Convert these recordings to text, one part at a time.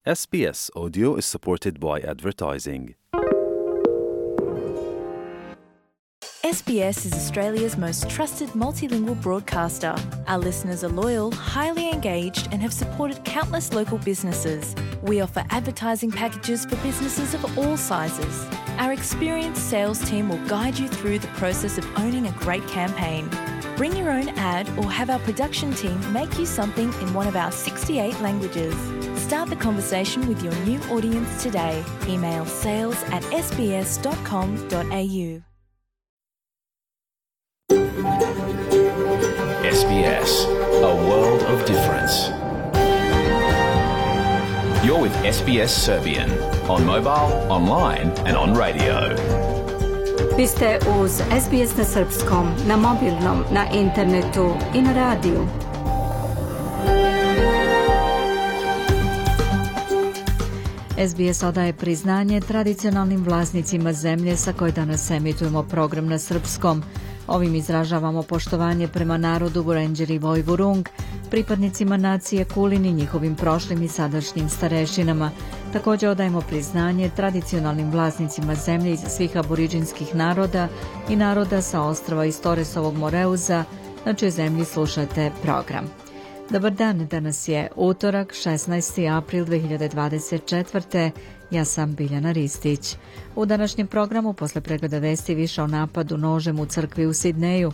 SBS Audio is supported by advertising. SBS is Australia's most trusted multilingual broadcaster. Our listeners are loyal, highly engaged, and have supported countless local businesses. We offer advertising packages for businesses of all sizes. Our experienced sales team will guide you through the process of owning a great campaign. Bring your own ad or have our production team make you something in one of our 68 languages. Start the conversation with your new audience today. Email sales@sbs.com.au. SBS, a world of difference. You're with SBS Serbian on mobile, online and on radio. Vi ste uz SBS na srpskom, na mobilnom, na internetu i na radiju. SBS odaje priznanje tradicionalnim vlasnicima zemlje sa koje danas emitujemo program na srpskom. Ovim izražavamo poštovanje prema narodu Vurendjeri Vojvurung, pripadnicima nacije Kulin i njihovim prošlim i sadašnjim starešinama. Također odajemo priznanje tradicionalnim vlasnicima zemlje iz svih aboriđinskih naroda i naroda sa ostrava iz Toresovog Moreuza, na čijoj zemlji slušate program. Dobar dan, danas je utorak, 16. april 2024. Ja sam Biljana Ristić. U današnjem programu, posle pregleda vesti, više o napadu nožem u crkvi u Sidneju.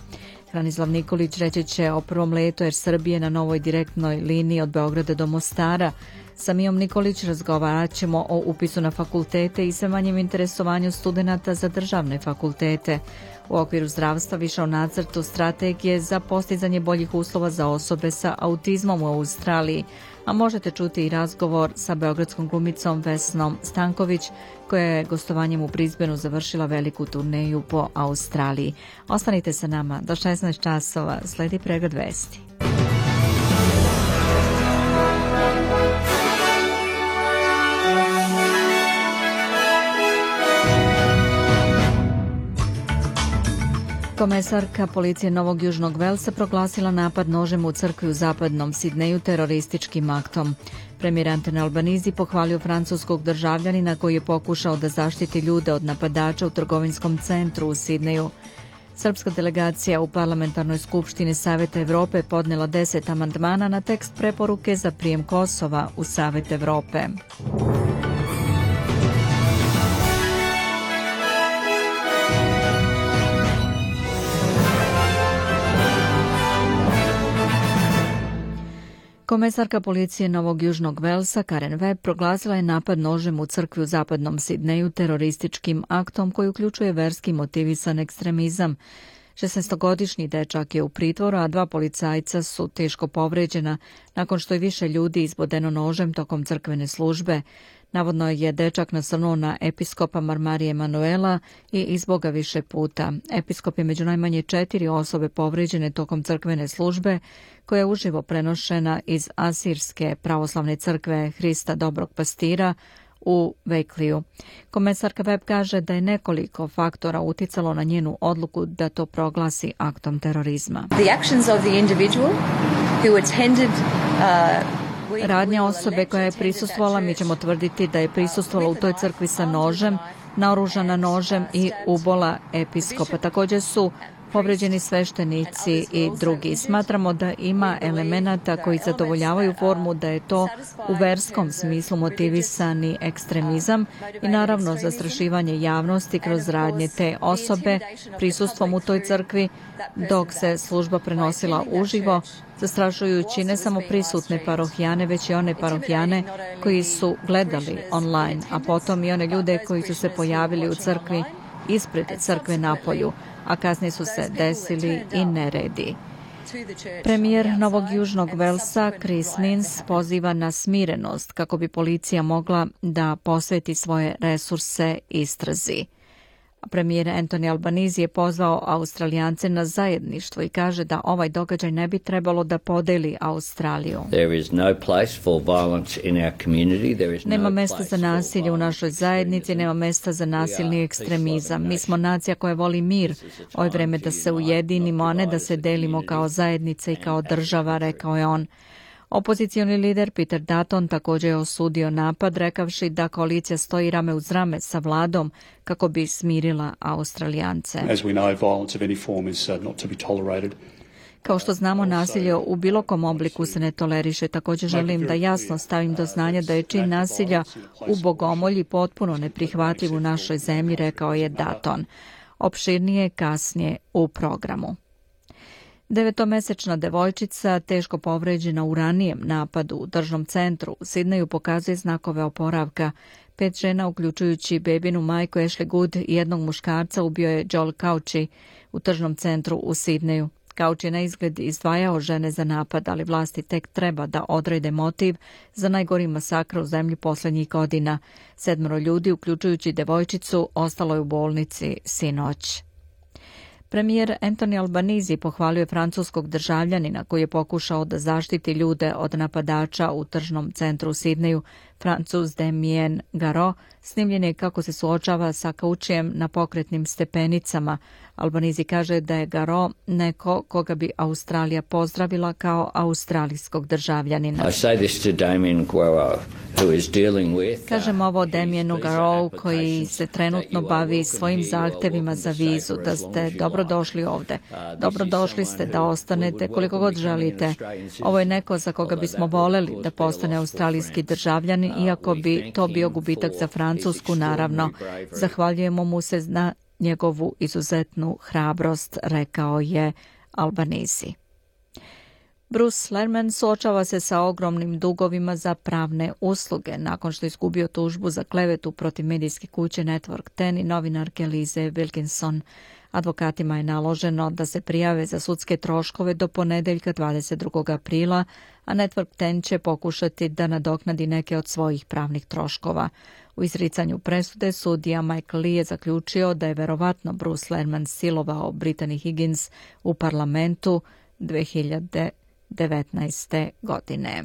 Hranislav Nikolić reći će o prvom letu Air Srbije na novoj direktnoj liniji od Beograda do Mostara. Sa Mijom Nikolić razgovarat ćemo o upisu na fakultete i sve manjem interesovanju studenata za državne fakultete. U okviru zdravstva više o nacrtu strategije za postizanje boljih uslova za osobe sa autizmom u Australiji, a možete čuti i razgovor sa beogradskom glumicom Vesnom Stanković, koja je gostovanjem u Brisbaneu završila veliku turneju po Australiji. Ostanite sa nama do 16 časova, sledi pregled vesti. Komesarka policije Novog Južnog Velsa proglasila napad nožem u crkvi u zapadnom Sidneju terorističkim aktom. Premijer Anthony Albanese pohvalio francuskog državljanina koji je pokušao da zaštiti ljude od napadača u trgovinskom centru u Sidneju. Srpska delegacija u Parlamentarnoj skupštini Saveta Evrope podnela 10 amandmana na tekst preporuke za prijem Kosova u Savet Evrope. Komesarka policije Novog Južnog Velsa Karen Webb proglasila je napad nožem u crkvi u zapadnom Sidneju terorističkim aktom koji uključuje verski motivisan ekstremizam. 16-godišnji dečak je u pritvoru, a 2 policajca su teško povređena nakon što je više ljudi izbodeno nožem tokom crkvene službe. Navodno je dečak nasrnuo na episkopa Marmarije Emanuela i izboga više puta. Episkop je među najmanje 4 osobe povređene tokom crkvene službe, koja je uživo prenošena iz Asirske pravoslavne crkve Hrista Dobrog Pastira u Vejkliju. Komesarka Webb kaže da je nekoliko faktora uticalo na njenu odluku da to proglasi aktom terorizma. Radnja osobe koja je prisustvovala, mi ćemo tvrditi da je prisustvovala u toj crkvi sa nožem, naoružana nožem i ubola episkopa. Također su povređeni sveštenici i drugi. Smatramo da ima elemenata koji zadovoljavaju formu da je to u verskom smislu motivisani ekstremizam i naravno zastrašivanje javnosti kroz radnje te osobe prisustvom u toj crkvi dok se služba prenosila uživo, zastrašujući ne samo prisutne parohijane, već i one parohijane koji su gledali online, a potom i one ljude koji su se pojavili u crkvi ispred crkve napolju, a kasnije su se desili i neredi. Premijer Novog Južnog Velsa Chris Minns poziva na smirenost kako bi policija mogla da posveti svoje resurse istrazi. Premijer Anthony Albanese je pozvao Australijance na zajedništvo i kaže da ovaj događaj ne bi trebalo da podeli Australiju. Nema mesta za nasilje u našoj zajednici, nema mesta za nasilni ekstremizam. Mi smo nacija koja voli mir. Ovo je vreme da se ujedinimo, a ne da se delimo kao zajednica i kao država, rekao je on. Opozicioni lider Peter Dutton također je osudio napad, rekavši da koalicija stoji rame uz rame sa vladom kako bi smirila Australijance. As we know, violence of any form is not to be tolerated. Kao što znamo, nasilje u bilo kom obliku se ne toleriše. Također želim da jasno stavim do znanja da je čin nasilja u bogomolji potpuno neprihvatljiv u našoj zemlji, rekao je Dutton. Opširnije kasnije u programu. 9-mesečna devojčica, teško povređena u ranijem napadu u državnom centru u Sidneju, pokazuje znakove oporavka. 5 žena, uključujući bebinu majku Ashley Good i jednog muškarca, ubio je Joel Cauchi u tržnom centru u Sidneju. Cauchi je na izgled izdvajao žene za napad, ali vlasti tek treba da odrede motiv za najgori masakr u zemlji posljednjih godina. 7 ljudi, uključujući devojčicu, ostalo je u bolnici sinoć. Premijer Anthony Albanese pohvalio je francuskog državljanina koji je pokušao da zaštiti ljude od napadača u tržnom centru u Sidneju. Francuz Damien Garot snimljen je kako se suočava sa Cauchijem na pokretnim stepenicama. Albanese kaže da je Garot neko koga bi Australija pozdravila kao australijskog državljanina. Kažem ovo Damienu Garotu koji se trenutno bavi svojim zahtevima za vizu, da ste dobrodošli ovde. Dobrodošli ste da ostanete koliko god želite. Ovo je neko za koga bismo voleli da postane australijski državljanin, iako bi to bio gubitak za Francusku, naravno. Zahvaljujemo mu se na njegovu izuzetnu hrabrost, rekao je Albanese. Bruce Lerman suočava se sa ogromnim dugovima za pravne usluge nakon što je izgubio tužbu za klevetu protiv medijske kuće Network 10 i novinarke Lize Wilkinson. Advokatima je naloženo da se prijave za sudske troškove do ponedeljka 22. aprila, a Network 10 će pokušati da nadoknadi neke od svojih pravnih troškova. U izricanju presude sudija Michael Lee je zaključio da je verovatno Bruce Lerman silovao Brittany Higgins u parlamentu 2019. godine.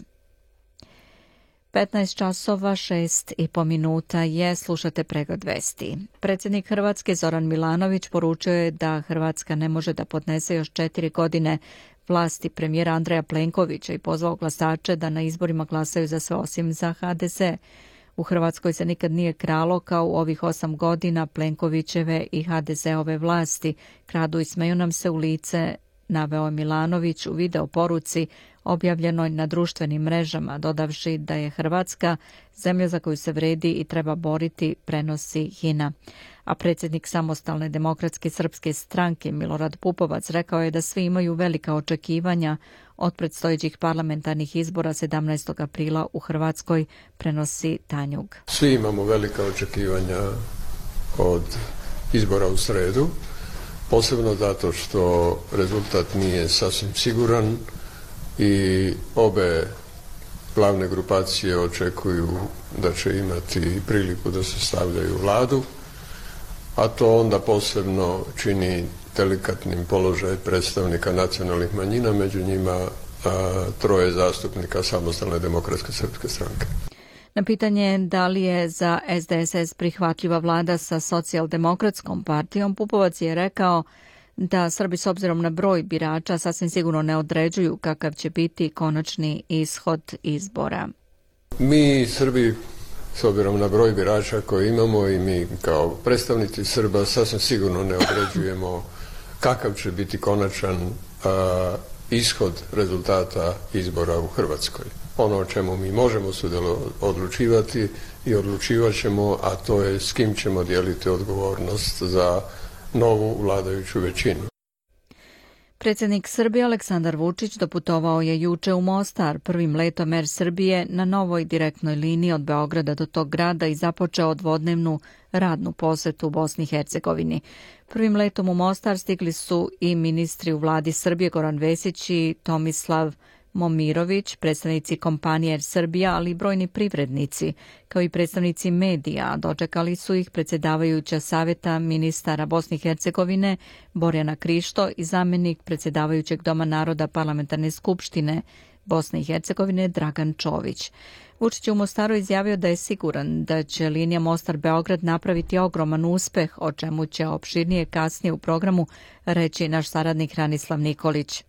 15 časova 6,5 minuta je, slušate pregled vesti. Predsjednik Hrvatske Zoran Milanović poručio je da Hrvatska ne može da podnese još 4 godine vlasti premijera Andreja Plenkovića i pozvao glasače da na izborima glasaju za sve osim za HDZ. U Hrvatskoj se nikad nije kralo kao u ovih 8 godina Plenkovićeve i HDZ-ove vlasti. Kradu i smeju nam se u lice, naveo je Milanović u video poruci objavljenoj na društvenim mrežama, dodavši da je Hrvatska zemlja za koju se vredi i treba boriti, prenosi HINA. A predsjednik Samostalne demokratske srpske stranke Milorad Pupovac rekao je da svi imaju velika očekivanja od predstojećih parlamentarnih izbora 17. aprila u Hrvatskoj, prenosi Tanjug. Svi imamo velika očekivanja od izbora u sredu, posebno zato što rezultat nije sasvim siguran i obe glavne grupacije očekuju da će imati priliku da se stavljaju u vladu, a to onda posebno čini delikatnim položaj predstavnika nacionalnih manjina, među njima 3 zastupnika Samostalne demokratske srpske stranke. Na pitanje da li je za SDSS prihvatljiva vlada sa socijaldemokratskom partijom, Pupovac je rekao da Srbi s obzirom na broj birača sasvim sigurno ne određuju kakav će biti konačni ishod izbora. Mi Srbi s obzirom na broj birača koje imamo i mi kao predstavnici Srba sasvim sigurno ne određujemo kakav će biti konačan ishod rezultata izbora u Hrvatskoj. Ono o čemu mi možemo odlučivati i odlučivat ćemo, a to je s kim ćemo dijeliti odgovornost za novu vladajuću većinu. Predsjednik Srbije Aleksandar Vučić doputovao je juče u Mostar prvim letom Air Srbije na novoj direktnoj liniji od Beograda do tog grada i započeo dvodnevnu radnu posetu u Bosni i Hercegovini. Prvim letom u Mostar stigli su i ministri u vladi Srbije Goran Vesić i Tomislav Momirović, predstavnici kompanije Air Srbija, ali i brojni privrednici, kao i predstavnici medija. Dočekali su ih predsjedavajuća Saveta ministara Bosne i Hercegovine Borjana Krišto i zamjenik predsjedavajućeg Doma naroda Parlamentarne skupštine Bosne i Hercegovine Dragan Čović. Vučić je u Mostaru izjavio da je siguran da će linija Mostar-Beograd napraviti ogroman uspeh, o čemu će opširnije kasnije u programu reći naš saradnik Ranislav Nikolić.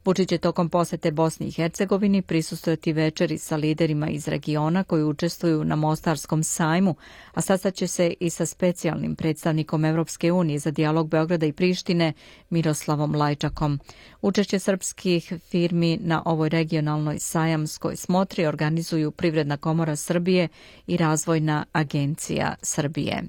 Vučić će tokom posete Bosni i Hercegovini prisustvovati večeri sa liderima iz regiona koji učestvuju na Mostarskom sajmu, a sastaće se i sa specijalnim predstavnikom Evropske unije za dijalog Beograda i Prištine Miroslavom Lajčakom. Učešće srpskih firmi na ovoj regionalnoj sajamskoj smotri organizuju Privredna komora Srbije i Razvojna agencija Srbije.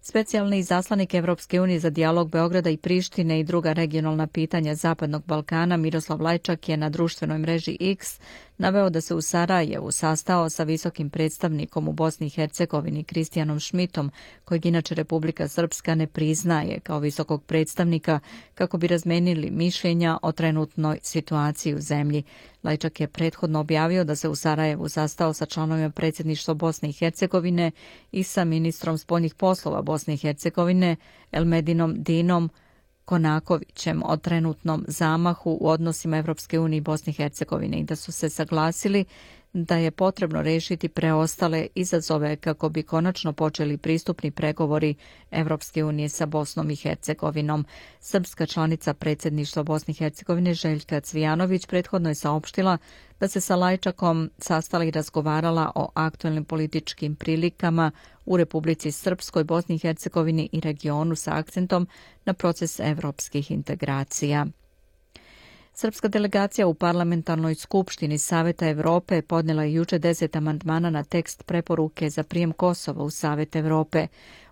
Specijalni izaslanik Evropske unije za dijalog Beograda i Prištine i druga regionalna pitanja Zapadnog Balkana Miroslav Lajčak je na društvenoj mreži X naveo da se u Sarajevu sastao sa visokim predstavnikom u Bosni i Hercegovini Kristijanom Šmitom, kojeg inače Republika Srpska ne priznaje kao visokog predstavnika, kako bi razmenili mišljenja o trenutnoj situaciji u zemlji. Lajčak je prethodno objavio da se u Sarajevu sastao sa članovima predsjedništva Bosne i Hercegovine i sa ministrom spoljnih poslova Bosne i Hercegovine Elmedinom Dinom Konakovićem o trenutnom zamahu u odnosima Evropske unije i Bosne i Hercegovine i da su se saglasili da je potrebno rešiti preostale izazove kako bi konačno počeli pristupni pregovori Evropske unije sa Bosnom i Hercegovinom. Srpska članica predsjedništva Bosne i Hercegovine Željka Cvijanović prethodno je saopštila da se sa Lajčakom sastala i razgovarala o aktuelnim političkim prilikama u Republici Srpskoj, Bosni i Hercegovini i regionu sa akcentom na proces evropskih integracija. Srpska delegacija u Parlamentarnoj skupštini Saveta Evrope podnela je juče 10 amandmana na tekst preporuke za prijem Kosova u Savet Evrope.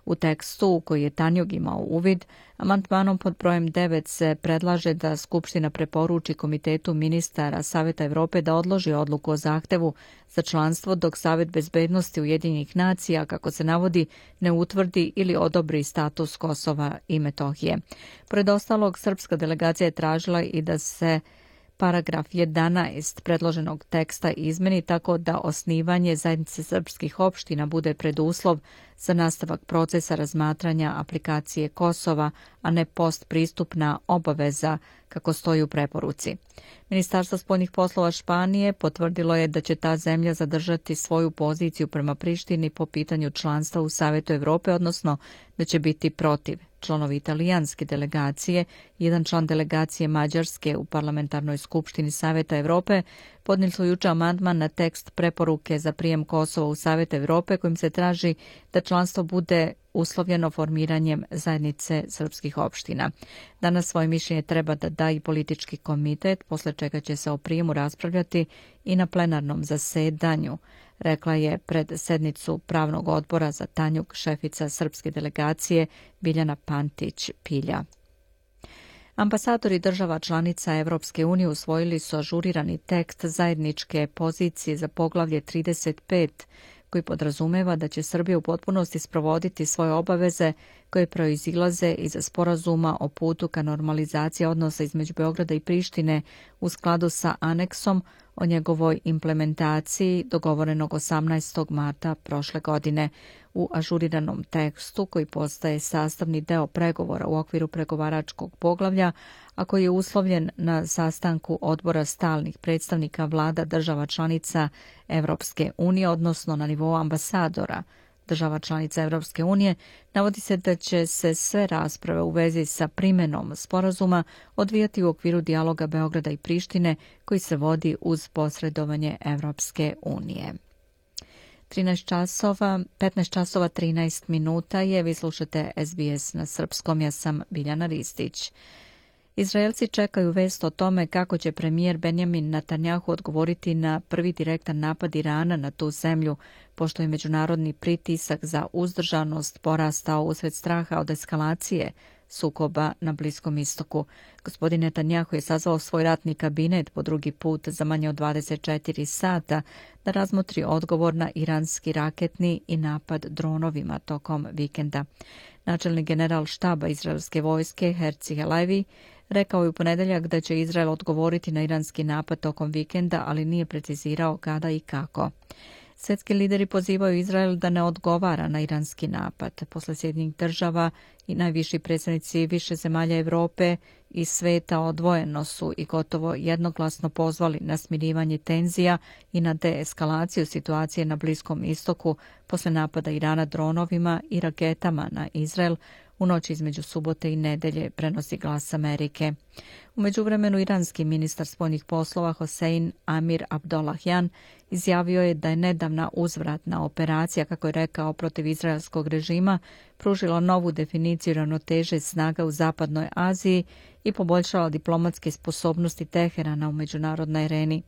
U tekstu, u koji je Tanjug imao uvid, amandmanom pod brojem 9 se predlaže da Skupština preporuči Komitetu ministara Saveta Evrope da odloži odluku o zahtevu za članstvo dok Savet bezbednosti Ujedinjenih nacija, kako se navodi, ne utvrdi ili odobri status Kosova i Metohije. Pored ostalog, srpska delegacija je tražila i da se paragraf 11 predloženog teksta izmeni tako da osnivanje zajednice srpskih opština bude preduslov za nastavak procesa razmatranja aplikacije Kosova, a ne postpristupna obaveza kako stoji u preporuci. Ministarstvo spoljnih poslova Španije potvrdilo je da će ta zemlja zadržati svoju poziciju prema Prištini po pitanju članstva u Savetu Evrope, odnosno da će biti protiv. Članovi italijanske delegacije, jedan član delegacije Mađarske u Parlamentarnoj skupštini Saveta Evrope podnijeli su juče amandman na tekst preporuke za prijem Kosova u Savet Evrope kojim se traži da članstvo bude uslovljeno formiranjem zajednice srpskih opština. Danas svoje mišljenje treba da da i politički komitet, posle čega će se o prijemu raspravljati i na plenarnom zasedanju, rekla je pred sednicu pravnog odbora za Tanjug šefica srpske delegacije Biljana Pantić-Pilja. Ambasadori država članica Evropske unije usvojili su ažurirani tekst zajedničke pozicije za poglavlje 35, koji podrazumeva da će Srbija u potpunosti sprovoditi svoje obaveze koje proizilaze iz sporazuma o putu ka normalizaciji odnosa između Beograda i Prištine u skladu sa aneksom o njegovoj implementaciji dogovorenog 18. marta prošle godine. U ažuriranom tekstu, koji postaje sastavni deo pregovora u okviru pregovaračkog poglavlja, a koji je uslovljen na sastanku odbora stalnih predstavnika vlada država članica Evropske unije, odnosno na nivou ambasadora država članica Evropske unije, navodi se da će se sve rasprave u vezi sa primenom sporazuma odvijati u okviru dijaloga Beograda i Prištine koji se vodi uz posredovanje Evropske unije. 15 časova 13 minuta je, vi slušate SBS na srpskom, ja sam Biljana Ristić. Izraelci čekaju vest o tome kako će premijer Benjamin Netanjahu odgovoriti na prvi direktan napad Irana na tu zemlju, pošto je međunarodni pritisak za uzdržanost porastao usred straha od eskalacije sukoba na Bliskom istoku. Gospodin Netanjahu je sazvao svoj ratni kabinet po drugi put za manje od 24 sata da razmotri odgovor na iranski raketni i napad dronovima tokom vikenda. Načelnik general štaba izraelske vojske Herzi Halevi rekao je u ponedeljak da će Izrael odgovoriti na iranski napad tokom vikenda, ali nije precizirao kada i kako. Svetski lideri pozivaju Izrael da ne odgovara na iranski napad. Posle Sjedinjenih država i najviši predstavnici više zemalja Evrope i sveta odvojeno su i gotovo jednoglasno pozvali na smirivanje tenzija i na deeskalaciju situacije na Bliskom istoku posle napada Irana dronovima i raketama na Izrael u noći između subote i nedelje, prenosi Glas Amerike. U međuvremenu iranski ministar spoljnih poslova Hossein Amir Abdollahian izjavio je da je nedavna uzvratna operacija, kako je rekao, protiv izraelskog režima pružila novu definiciju ravnoteže snaga u Zapadnoj Aziji i poboljšala diplomatske sposobnosti Teherana u međunarodnoj areni.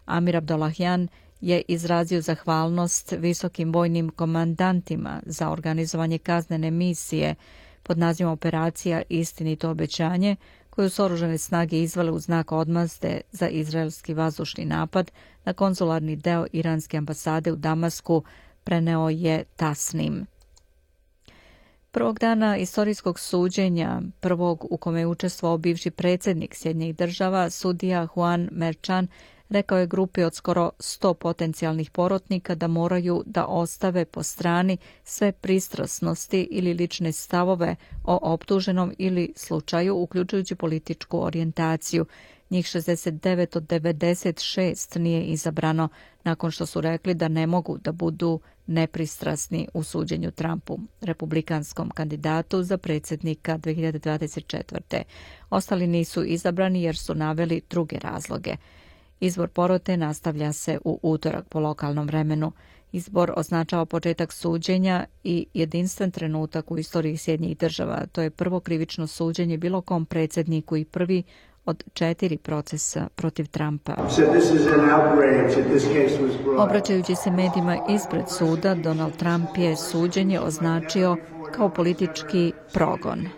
Amir Abdollahian je izrazio zahvalnost visokim vojnim komandantima za organizovanje kaznene misije pod nazivom Operacija Istinito obećanje, koju su oružane snage izvele u znak odmazde za izraelski vazdušni napad na konzularni deo iranske ambasade u Damasku, preneo je Tasnim. Prvog dana istorijskog suđenja, prvog u kome je učestvovao bivši predsjednik Sjedinjenih Država, sudija Juan Merchan, rekao je grupi od skoro 100 potencijalnih porotnika da moraju da ostave po strani sve pristrasnosti ili lične stavove o optuženom ili slučaju, uključujući političku orijentaciju. Njih 69 od 96 nije izabrano nakon što su rekli da ne mogu da budu nepristrasni u suđenju Trumpu, republikanskom kandidatu za predsjednika 2024. Ostali nisu izabrani jer su naveli druge razloge. Izbor porote nastavlja se u utorak po lokalnom vremenu. Izbor označava početak suđenja i jedinstven trenutak u istoriji Sjedinjenih Država. To je prvo krivično suđenje bilo kom predsjedniku i prvi od 4 procesa protiv Trumpa. Obraćajući se medijima ispred suda, Donald Trump je suđenje označio kao politički progon.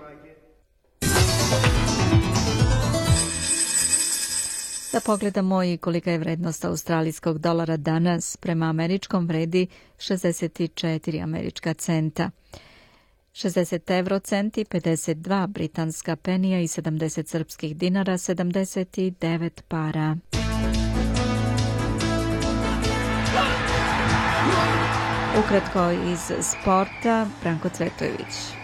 Da pogledamo i kolika je vrednost australijskog dolara danas. Prema američkom vredi 64 američka centa. 60 eurocenti, 52 britanska penija i 70 srpskih dinara, 79 para. Ukratko iz sporta, Branko Cvetojević.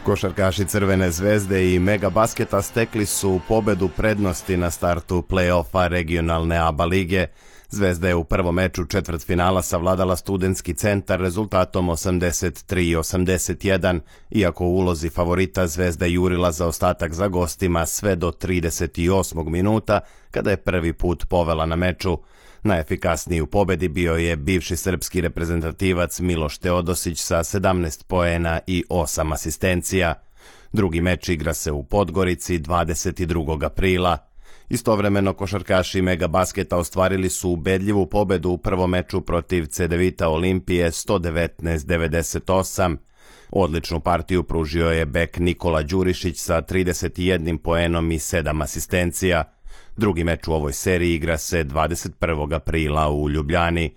Košarkaši Crvene zvezde i Mega Basketa stekli su pobedu prednosti na startu play-offa regionalne ABA lige. Zvezda je u prvom meču četvrtfinala savladala Studentski centar rezultatom 83-81, iako u ulozi favorita Zvezda jurila za ostatak za gostima sve do 38. minuta, kada je prvi put povela na meču. Najefikasniji u pobedi bio je bivši srpski reprezentativac Miloš Teodosić sa 17 poena i 8 asistencija. Drugi meč igra se u Podgorici 22. aprila. Istovremeno košarkaši Mega Basketa ostvarili su ubedljivu pobedu u prvom meču protiv Cedevita Olimpije 119-98. Odličnu partiju pružio je bek Nikola Đurišić sa 31 poenom i 7 asistencija. Drugi meč u ovoj seriji igra se 21. aprila u Ljubljani.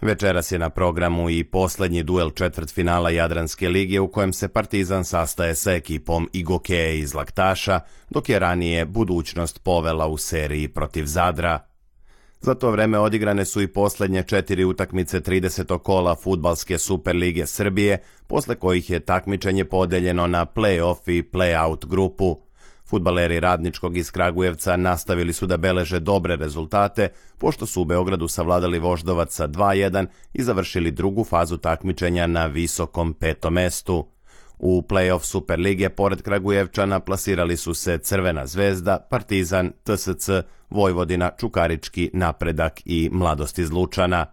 Večeras je na programu i poslednji duel četvrtfinala Jadranske lige u kojem se Partizan sastaje sa ekipom Igokeje iz Laktaša, dok je ranije Budućnost povela u seriji protiv Zadra. Za to vreme odigrane su i poslednje 4 utakmice 30. kola Fudbalske Superlige Srbije, posle kojih je takmičenje podeljeno na play-off i play-out grupu. Fudbaleri Radničkog iz Kragujevca nastavili su da beleže dobre rezultate, pošto su u Beogradu savladali Voždovac sa 2-1 i završili drugu fazu takmičenja na visokom 5. mestu. U play-off Superlige, pored Kragujevčana, plasirali su se Crvena zvezda, Partizan, TSC, Vojvodina, Čukarički, Napredak i Mladost iz Lučana.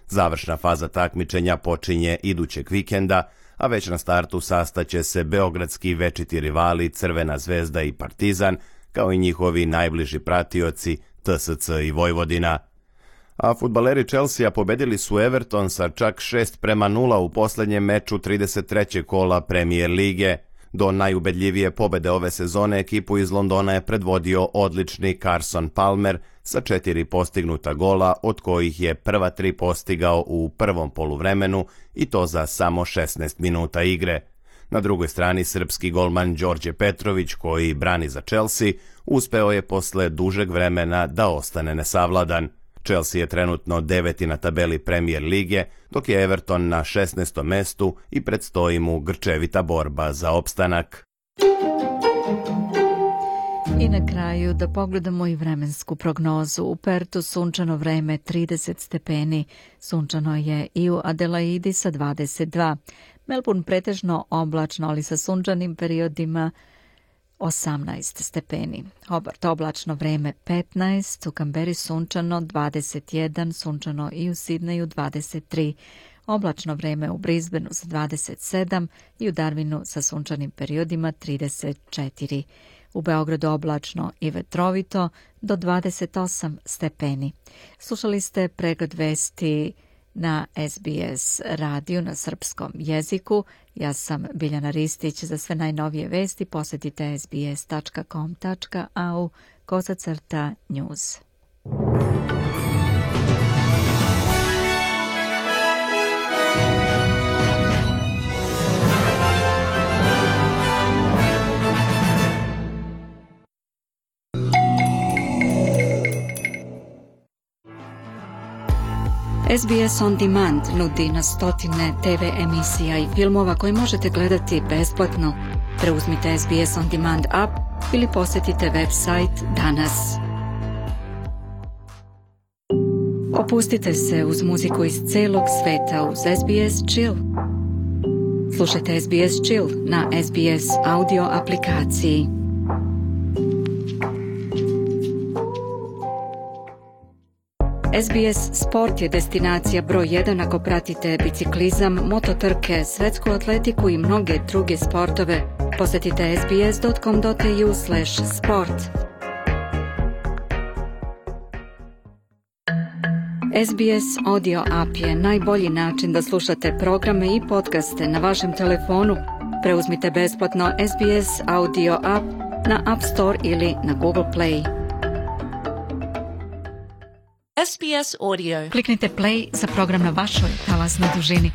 Završna faza takmičenja počinje idućeg vikenda, a već na startu sastaće se beogradski večiti rivali Crvena zvezda i Partizan, kao i njihovi najbliži pratioci TSC i Vojvodina. A fudbaleri Chelsea pobedili su Everton sa čak 6-0 u poslednjem meču 33. kola Premier lige. Do najubedljivije pobede ove sezone ekipu iz Londona je predvodio odlični Carson Palmer sa 4 postignuta gola, od kojih je prva 3 postigao u prvom poluvremenu i to za samo 16 minuta igre. Na drugoj strani srpski golman Đorđe Petrović, koji brani za Chelsea, uspeo je posle dužeg vremena da ostane nesavladan. Chelsea je trenutno 9. na tabeli Premier lige, dok je Everton na 16. mestu i predstoji mu grčevita borba za opstanak. I na kraju da pogledamo i vremensku prognozu. U Pertu sunčano vreme 30 stepeni, sunčano je i u Adelaidi sa 22. Melbourne pretežno oblačno, ali sa sunčanim periodima 18 stepeni. Hobart oblačno vreme 15, u Kamberi sunčano 21, sunčano i u Sidneju 23. Oblačno vreme u Brisbaneu sa 27 i u Darwinu sa sunčanim periodima 34. U Beogradu oblačno i vetrovito do 28 stepeni. Slušali ste pregled vesti na SBS radiju na srpskom jeziku. Ja sam Biljana Ristić. Za sve najnovije vesti posjetite sbs.com.au/news. SBS On Demand nudi na stotine TV emisija i filmova koje možete gledati besplatno. Preuzmite SBS On Demand app ili posjetite website danas. Opustite se uz muziku iz celog sveta uz SBS Chill. Slušajte SBS Chill na SBS audio aplikaciji. SBS Sport je destinacija broj 1 ako pratite biciklizam, mototrke, svetsku atletiku i mnoge druge sportove. Posjetite sbs.com.au/sport. SBS Audio App je najbolji način da slušate programe i podcaste na vašem telefonu. Preuzmite besplatno SBS Audio App na App Store ili na Google Play. SBS Audio. Kliknite play za program na vašoj talasnoj dužini.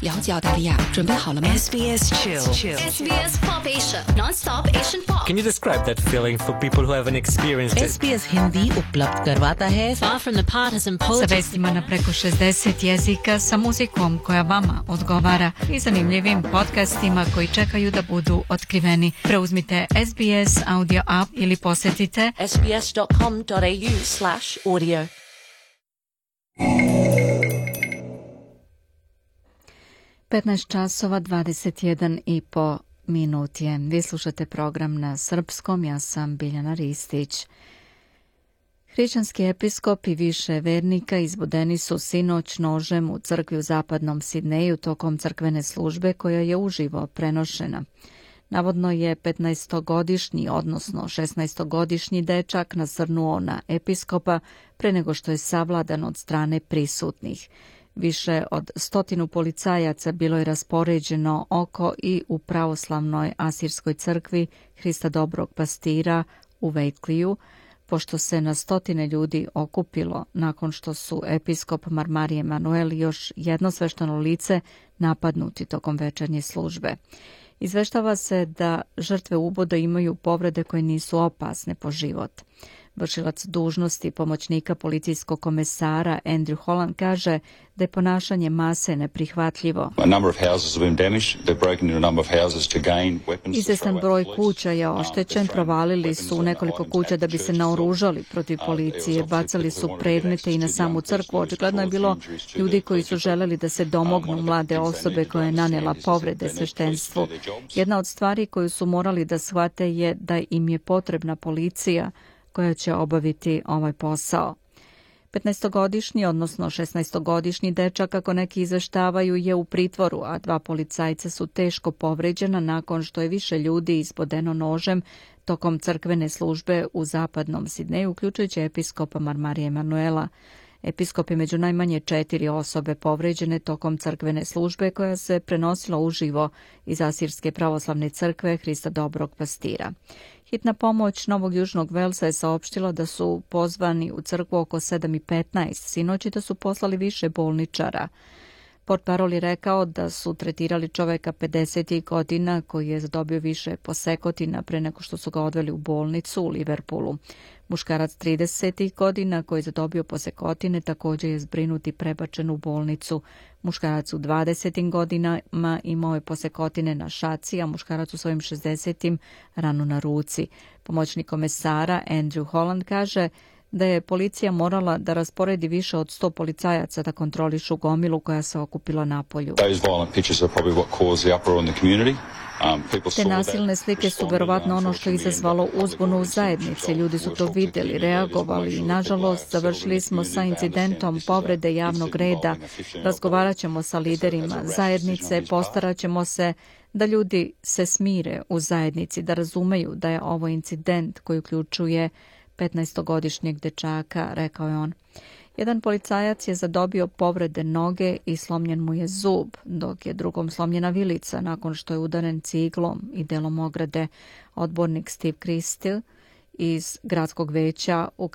SBS Chill. SBS Pop Asia, non-stop Asian pop. Can you describe that feeling for people who haven't experienced it? SBS Hindi उपलब्ध करवाता है far from the partisan Sa politics. vestima na preko 60 jezika, sa muzikom koja vama odgovara i zanimljivim podcastima koji čekaju da budu otkriveni. Preuzmite SBS Audio App ili posjetite sbs.com.au/audio. časova 21,5 minut je. Vi slušate program na srpskom, ja sam Biljana Ristić. Hrišćanski episkop i više vernika izbodeni su sinoć nožem u crkvi u zapadnom Sidneju tokom crkvene službe koja je uživo prenošena. Navodno je 15-godišnji, odnosno 16-godišnji dečak nasrnuo na episkopa pre nego što je savladan od strane prisutnih. Više od 100 policajaca bilo je raspoređeno oko i u pravoslavnoj asirskoj crkvi Hrista dobrog pastira u Vejkliju, pošto se na 100 ljudi okupilo nakon što su episkop Marmarije Emanuel i još jedno svešteno lice napadnuti tokom večernje službe. Izveštava se da žrtve uboda imaju povrede koje nisu opasne po život. Vršilac dužnosti pomoćnika policijskog komesara Andrew Holland kaže da je ponašanje mase neprihvatljivo. Izvestan broj kuća je oštećen, provalili su nekoliko kuća da bi se naoružali protiv policije, bacali su predmete i na samu crkvu. Očigledno je bilo ljudi koji su želeli da se domognu mlade osobe koja je nanela povrede sveštenstvu. Jedna od stvari koju su morali da shvate je da im je potrebna policija koja će obaviti ovaj posao. 15-godišnji, odnosno 16-godišnji dečak, kako neki izveštavaju, je u pritvoru, a 2 policajca su teško povređena nakon što je više ljudi izbodeno nožem tokom crkvene službe u zapadnom Sidneju, uključujući episkopa Marmarije Emanuela. Episkop je među najmanje 4 osobe povređene tokom crkvene službe koja se prenosila uživo iz Asirske pravoslavne crkve Hrista dobrog pastira. Hitna pomoć Novog Južnog Velsa je saopštila da su pozvani u crkvu oko 7:15 sinoć i da su poslali više bolničara. Portparol je rekao da su tretirali čoveka 50 godina koji je zadobio više posekotina pre nego što su ga odveli u bolnicu u Liverpoolu. Muškarac 30 godina koji je zadobio posekotine također je zbrinut i prebačen u bolnicu. Muškarac u 20 godinama imao je posekotine na šaci, a muškarac u svojim 60 ranu na ruci. Pomoćnik komesara Andrew Holland kaže da je policija morala da rasporedi više od 100 policajaca da kontrolišu gomilu koja se okupila napolju. Te nasilne slike su verovatno ono što je izazvalo uzbunu u zajednici. Ljudi su to vidjeli, reagovali i nažalost završili smo sa incidentom povrede javnog reda. Razgovarat ćemo sa liderima zajednice, postarat ćemo se da ljudi se smire u zajednici, da razumeju da je ovo incident koji uključuje 15-godišnjeg dečaka, rekao je on. Jedan policajac je zadobio povrede noge i slomljen mu je zub, dok je drugom slomljena vilica nakon što je udaren ciglom i delom ograde. Odbornik Steve Christie iz gradskog veća u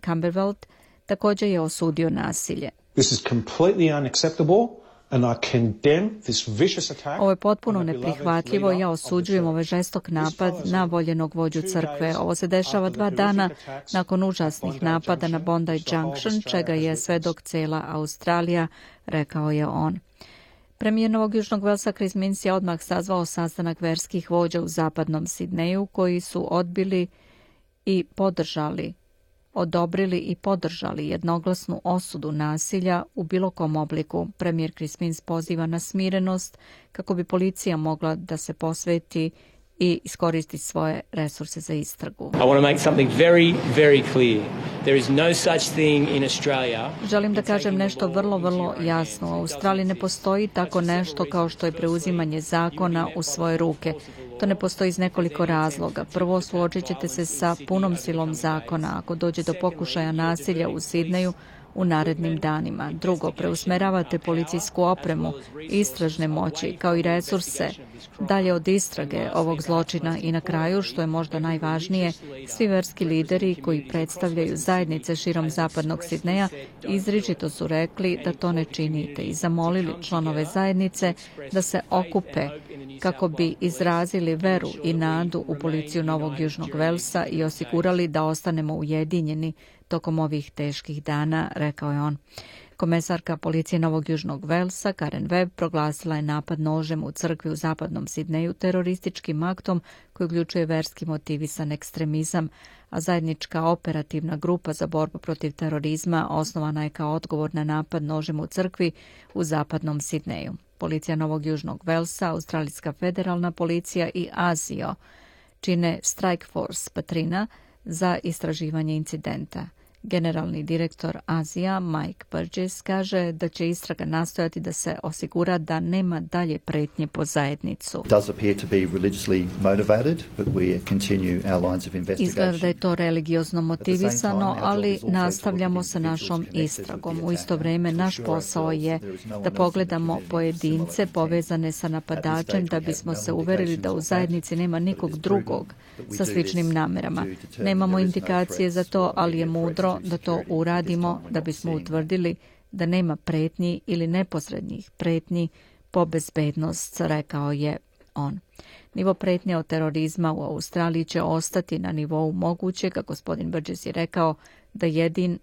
Camberwell također je osudio nasilje. This is completely unacceptable. Ovo je potpuno neprihvatljivo i ja osuđujem ovaj žestok napad na voljenog vođu crkve. Ovo se dešava 2 dana nakon užasnih napada na Bondi Junction, čega je svedok cela Australija, rekao je on. Premijer Novog Južnog Velsa Chris Minns je odmah sazvao sastanak verskih vođa u zapadnom Sidneju koji su odobrili i podržali jednoglasnu osudu nasilja u bilo kom obliku. Premijer Chris Minns poziva na smirenost kako bi policija mogla da se posveti i iskoristi svoje resurse za istragu. Želim da kažem nešto vrlo jasno. U Australiji ne postoji tako nešto kao što je preuzimanje zakona u svoje ruke. To ne postoji iz nekoliko razloga. Prvo, suočit ćete se sa punom silom zakona ako dođe do pokušaja nasilja u Sidneju u narednim danima. Drugo, preusmeravate policijsku opremu, istražne moći, kao i resurse dalje od istrage ovog zločina i na kraju, što je možda najvažnije, svi verski lideri koji predstavljaju zajednice širom zapadnog Sidneja izričito su rekli da to ne činite i zamolili članove zajednice da se okupe kako bi izrazili veru i nadu u policiju Novog Južnog Velsa i osigurali da ostanemo ujedinjeni tokom ovih teških dana, rekao je on. Komesarka policije Novog Južnog Velsa, Karen Webb, proglasila je napad nožem u crkvi u zapadnom Sidneju terorističkim aktom koji uključuje verski motivisan ekstremizam, a zajednička operativna grupa za borbu protiv terorizma osnovana je kao odgovor na napad nožem u crkvi u zapadnom Sidneju. Policija Novog Južnog Velsa, Australijska federalna policija i ASIO čine Strike Force Patrina za istraživanje incidenta. Generalni direktor Azija Mike Burgess kaže da će istraga nastojati da se osigura da nema dalje pretnje po zajednicu. Izgleda da je to religiozno motivisano, ali nastavljamo sa našom istragom. U isto vrijeme naš posao je da pogledamo pojedince povezane sa napadačem da bismo se uverili da u zajednici nema nikog drugog sa sličnim namerama. Nemamo indikacije za to, ali je mudro da to uradimo da bismo utvrdili da nema pretnji ili neposrednih pretnji po bezbednost, rekao je on. Nivo pretnje od terorizma u Australiji će ostati na nivou mogućega. Gospodin Burgess je rekao da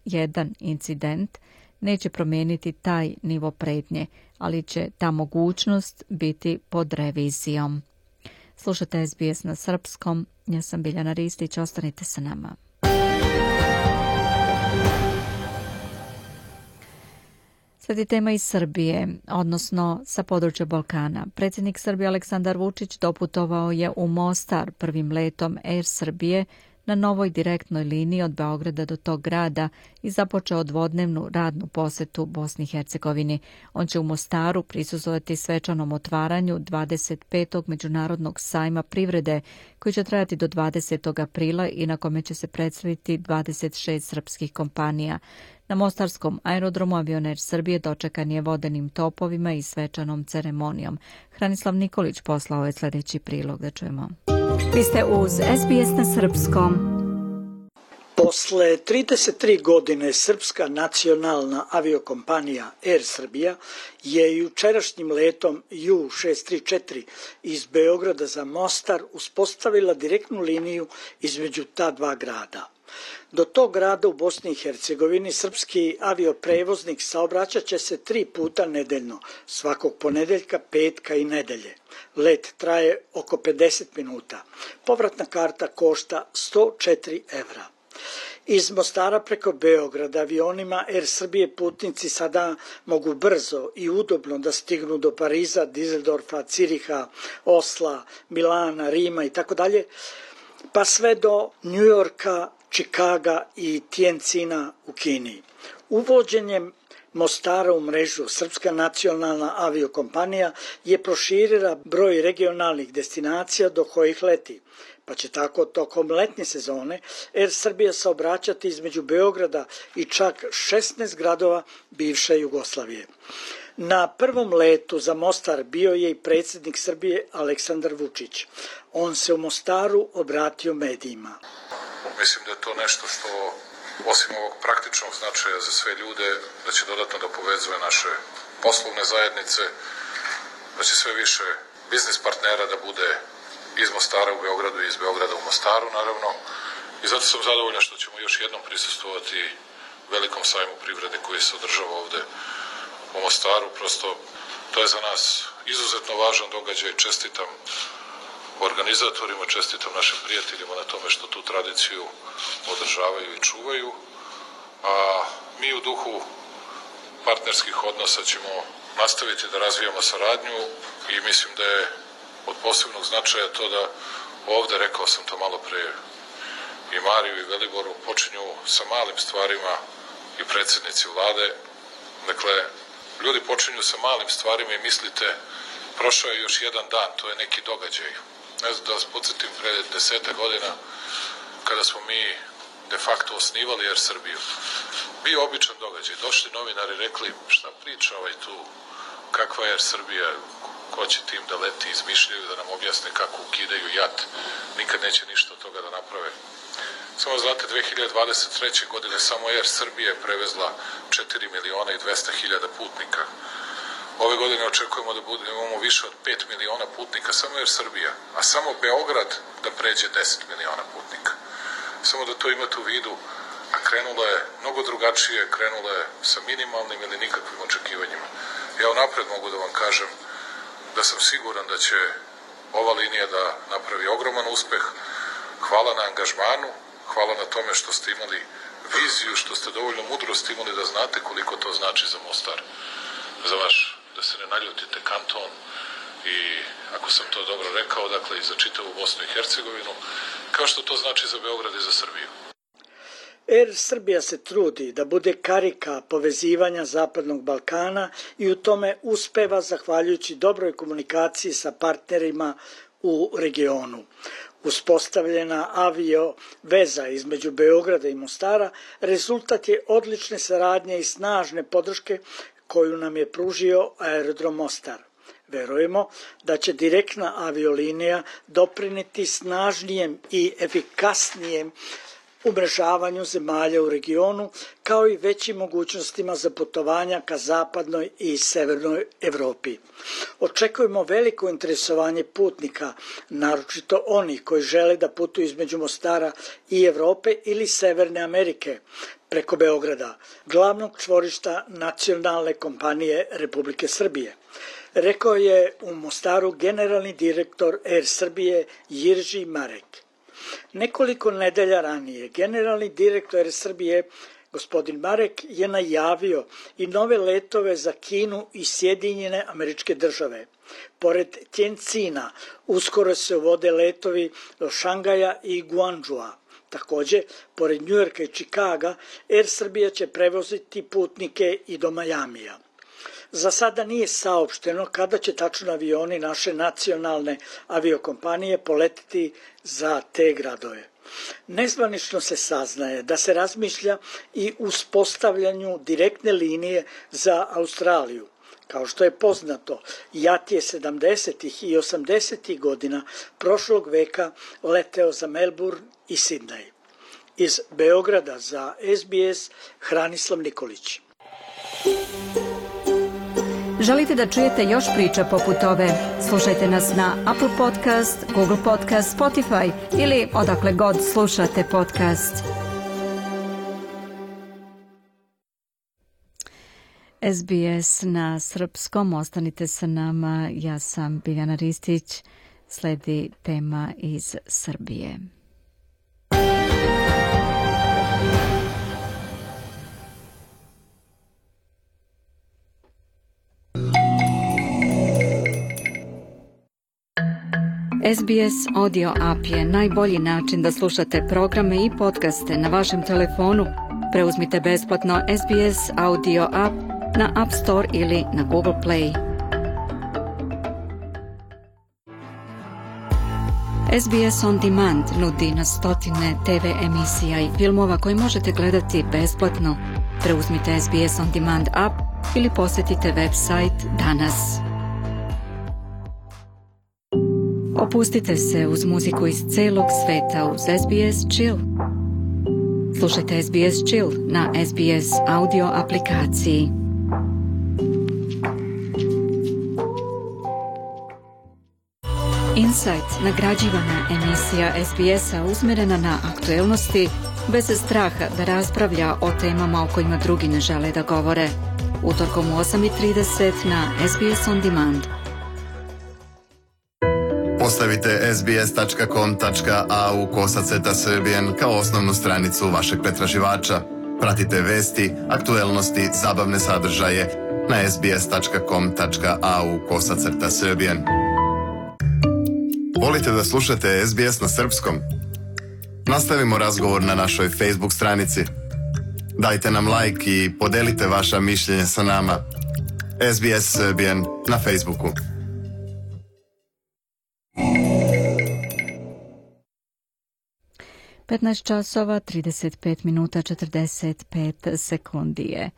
jedan incident neće promijeniti taj nivo pretnje, ali će ta mogućnost biti pod revizijom. Slušate SBS na srpskom. Ja sam Biljana Ristić, ostanite sa nama. Sledi tema iz Srbije, odnosno sa područja Balkana. Predsjednik Srbije Aleksandar Vučić doputovao je u Mostar prvim letom Air Srbije na novoj direktnoj liniji od Beograda do tog grada i započeo dvodnevnu radnu posetu Bosni i Hercegovini. On će u Mostaru prisustvovati svečanom otvaranju 25. Međunarodnog sajma privrede koji će trajati do 20. aprila i na kome će se predstaviti 26 srpskih kompanija. Na mostarskom aerodromu avioner Srbije dočekan je vodenim topovima i svečanom ceremonijom. Hranislav Nikolić poslao je sljedeći prilog, da čujemo. Vi ste uz SBS na srpskom. Posle 33 godine srpska nacionalna aviokompanija Air Srbija je jučerašnjim letom Ju-634 iz Beograda za Mostar uspostavila direktnu liniju između ta dva grada. Do tog grada u Bosni i Hercegovini srpski avioprevoznik saobraćat će se 3 puta nedeljno, svakog ponedeljka, petka i nedelje. Let traje oko 50 minuta. Povratna karta košta 104 evra. Iz Mostara preko Beograda avionima Air Srbije putnici sada mogu brzo i udobno da stignu do Pariza, Dizeldorfa, Ciriha, Osla, Milana, Rima i tako dalje, pa sve do Njujorka, Čikaga i Tijencina u Kini. Uvođenjem Mostara u mrežu Srpska nacionalna aviokompanija je proširila broj regionalnih destinacija do kojih leti, pa će tako tokom letnje sezone Air Srbija saobraćati između Beograda i čak 16 gradova bivše Jugoslavije. Na prvom letu za Mostar bio je i predsjednik Srbije Aleksandar Vučić. On se u Mostaru obratio medijima. Mislim da je to nešto što, osim ovog praktičnog značaja za sve ljude, da će dodatno da povezuje naše poslovne zajednice, da će sve više biznis partnera da bude iz Mostara u Beogradu i iz Beograda u Mostaru, naravno. I zato sam zadovoljan što ćemo još jednom prisustvovati velikom sajmu privrede koji se održava ovde u Mostaru. Prosto, to je za nas izuzetno važan događaj. Čestitam organizatorima, čestitam našim prijateljima na tome što tu tradiciju održavaju i čuvaju. A mi u duhu partnerskih odnosa ćemo nastaviti da razvijamo saradnju i mislim da je od posebnog značaja to da ovde, rekao sam to malo pre i Mariju i Veliboru, počinju sa malim stvarima i predsjednici vlade. Dakle, ljudi počinju sa malim stvarima i mislite, prošao je još jedan dan, to je neki događaj. Ne znam da vas podsjetim, pre 10 godina, kada smo mi de facto osnivali Air Srbiju, bio običan događaj. Došli novinari, rekli šta priča ovaj tu, kakva je Air Srbija, ko će tim da leti, izmišljaju da nam objasne kako ukidaju JAT, nikad neće ništa od toga da naprave. Samo znate, 2023. godine samo Air Srbija je prevezla 4.200.000 putnika. Ove godine očekujemo da imamo više od 5 miliona putnika, samo Air Srbija, a samo Beograd da pređe 10 miliona putnika. Samo da to imate u vidu, a krenulo je mnogo drugačije, krenulo je sa minimalnim ili nikakvim očekivanjima. Ja unapred mogu da vam kažem da sam siguran da će ova linija da napravi ogroman uspeh. Hvala na angažmanu, hvala na tome što ste imali viziju, što ste dovoljno mudrosti imali da znate koliko to znači za Mostar, za vaš, da se ne naljutite, kanton i, ako sam to dobro rekao, dakle i za čitavu Bosnu i Hercegovinu, kao što to znači za Beograd i za Srbiju. Air Srbija se trudi da bude karika povezivanja Zapadnog Balkana i u tome uspeva zahvaljujući dobroj komunikaciji sa partnerima u regionu. Uspostavljena avio veza između Beograda i Mostara rezultat je odlične saradnje i snažne podrške koju nam je pružio aerodrom Mostar. Verujemo da će direktna aviolinija doprineti snažnijem i efikasnijem umrežavanju zemalja u regionu, kao i većim mogućnostima za putovanja ka zapadnoj i severnoj Evropi. Očekujemo veliko interesovanje putnika, naročito onih koji žele da putuju između Mostara i Evrope ili Severne Amerike, preko Beograda, glavnog čvorišta nacionalne kompanije Republike Srbije. Rekao je u Mostaru generalni direktor Air Srbije Jirži Marek. Nekoliko nedelja ranije generalni direktor Air Srbije gospodin Marek je najavio i nove letove za Kinu i Sjedinjene Američke Države. Pored Tjencina uskoro se uvode letovi do Šangaja i Guangzhoua. Također, pored Njujorka i Čikaga, Air Srbija će prevoziti putnike i do Majamija. Za sada nije saopšteno kada će tačno avioni naše nacionalne aviokompanije poletiti za te gradove. Nezvanično se saznaje da se razmišlja i uspostavljanju direktne linije za Australiju. Kao što je poznato, JAT je 70. i 80. godina prošlog veka leteo za Melbourne i Sidney. Iz Beograda za SBS Hranislav Nikolić. Želite da čujete još priča poput ove? Slušajte nas na Apple Podcast, Google Podcast, Spotify ili odakle god slušate podcast. SBS na srpskom, ostanite sa nama, ja sam Biljana Ristić, sledi tema iz Srbije. SBS Audio App je najbolji način da slušate programe i podcaste na vašem telefonu. Preuzmite besplatno SBS Audio App na App Store ili na Google Play. SBS On Demand nudi na stotine TV emisija i filmova koje možete gledati besplatno. Preuzmite SBS On Demand app ili posjetite website danas. Opustite se uz muziku iz celog sveta uz SBS Chill. Slušajte SBS Chill na SBS audio aplikaciji. Insight, nagrađivana emisija SBS-a usmjerena na aktuelnosti, bez straha da raspravlja o temama o kojima drugi ne žele da govore. Utorkom u 8:30 na SBS On Demand. Postavite sbs.com.au/srbijan kao osnovnu stranicu vašeg pretraživača. Pratite vesti, aktuelnosti, zabavne sadržaje na sbs.com.au/srbijan. Volite da slušate SBS na srpskom? Nastavimo razgovor na našoj Facebook stranici. Dajte nam like i podelite vaša mišljenja sa nama. SBS Serbian na Facebooku. (15:35:45)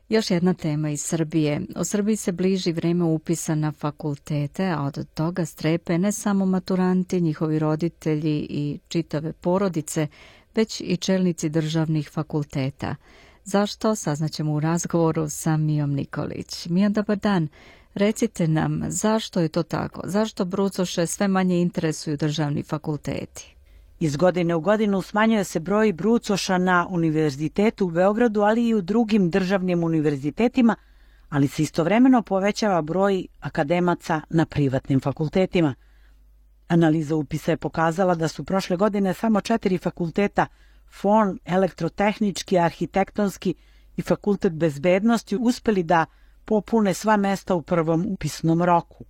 Još jedna tema iz Srbije. U Srbiji se bliži vreme upisa na fakultete, a od toga strepe ne samo maturanti, njihovi roditelji i čitave porodice, već i čelnici državnih fakulteta. Zašto? Saznaćemo u razgovoru sa Mijom Nikolić. Mija, dobar dan. Recite nam, zašto je to tako? Zašto brucoše sve manje interesuju državni fakulteti? Iz godine u godinu smanjuje se broj brucoša na univerzitetu u Beogradu, ali i u drugim državnim univerzitetima, ali se istovremeno povećava broj akademaca na privatnim fakultetima. Analiza upisa je pokazala da su prošle godine samo 4 fakulteta, FON, elektrotehnički, arhitektonski i fakultet bezbednosti, uspeli da popune sva mesta u prvom upisnom roku.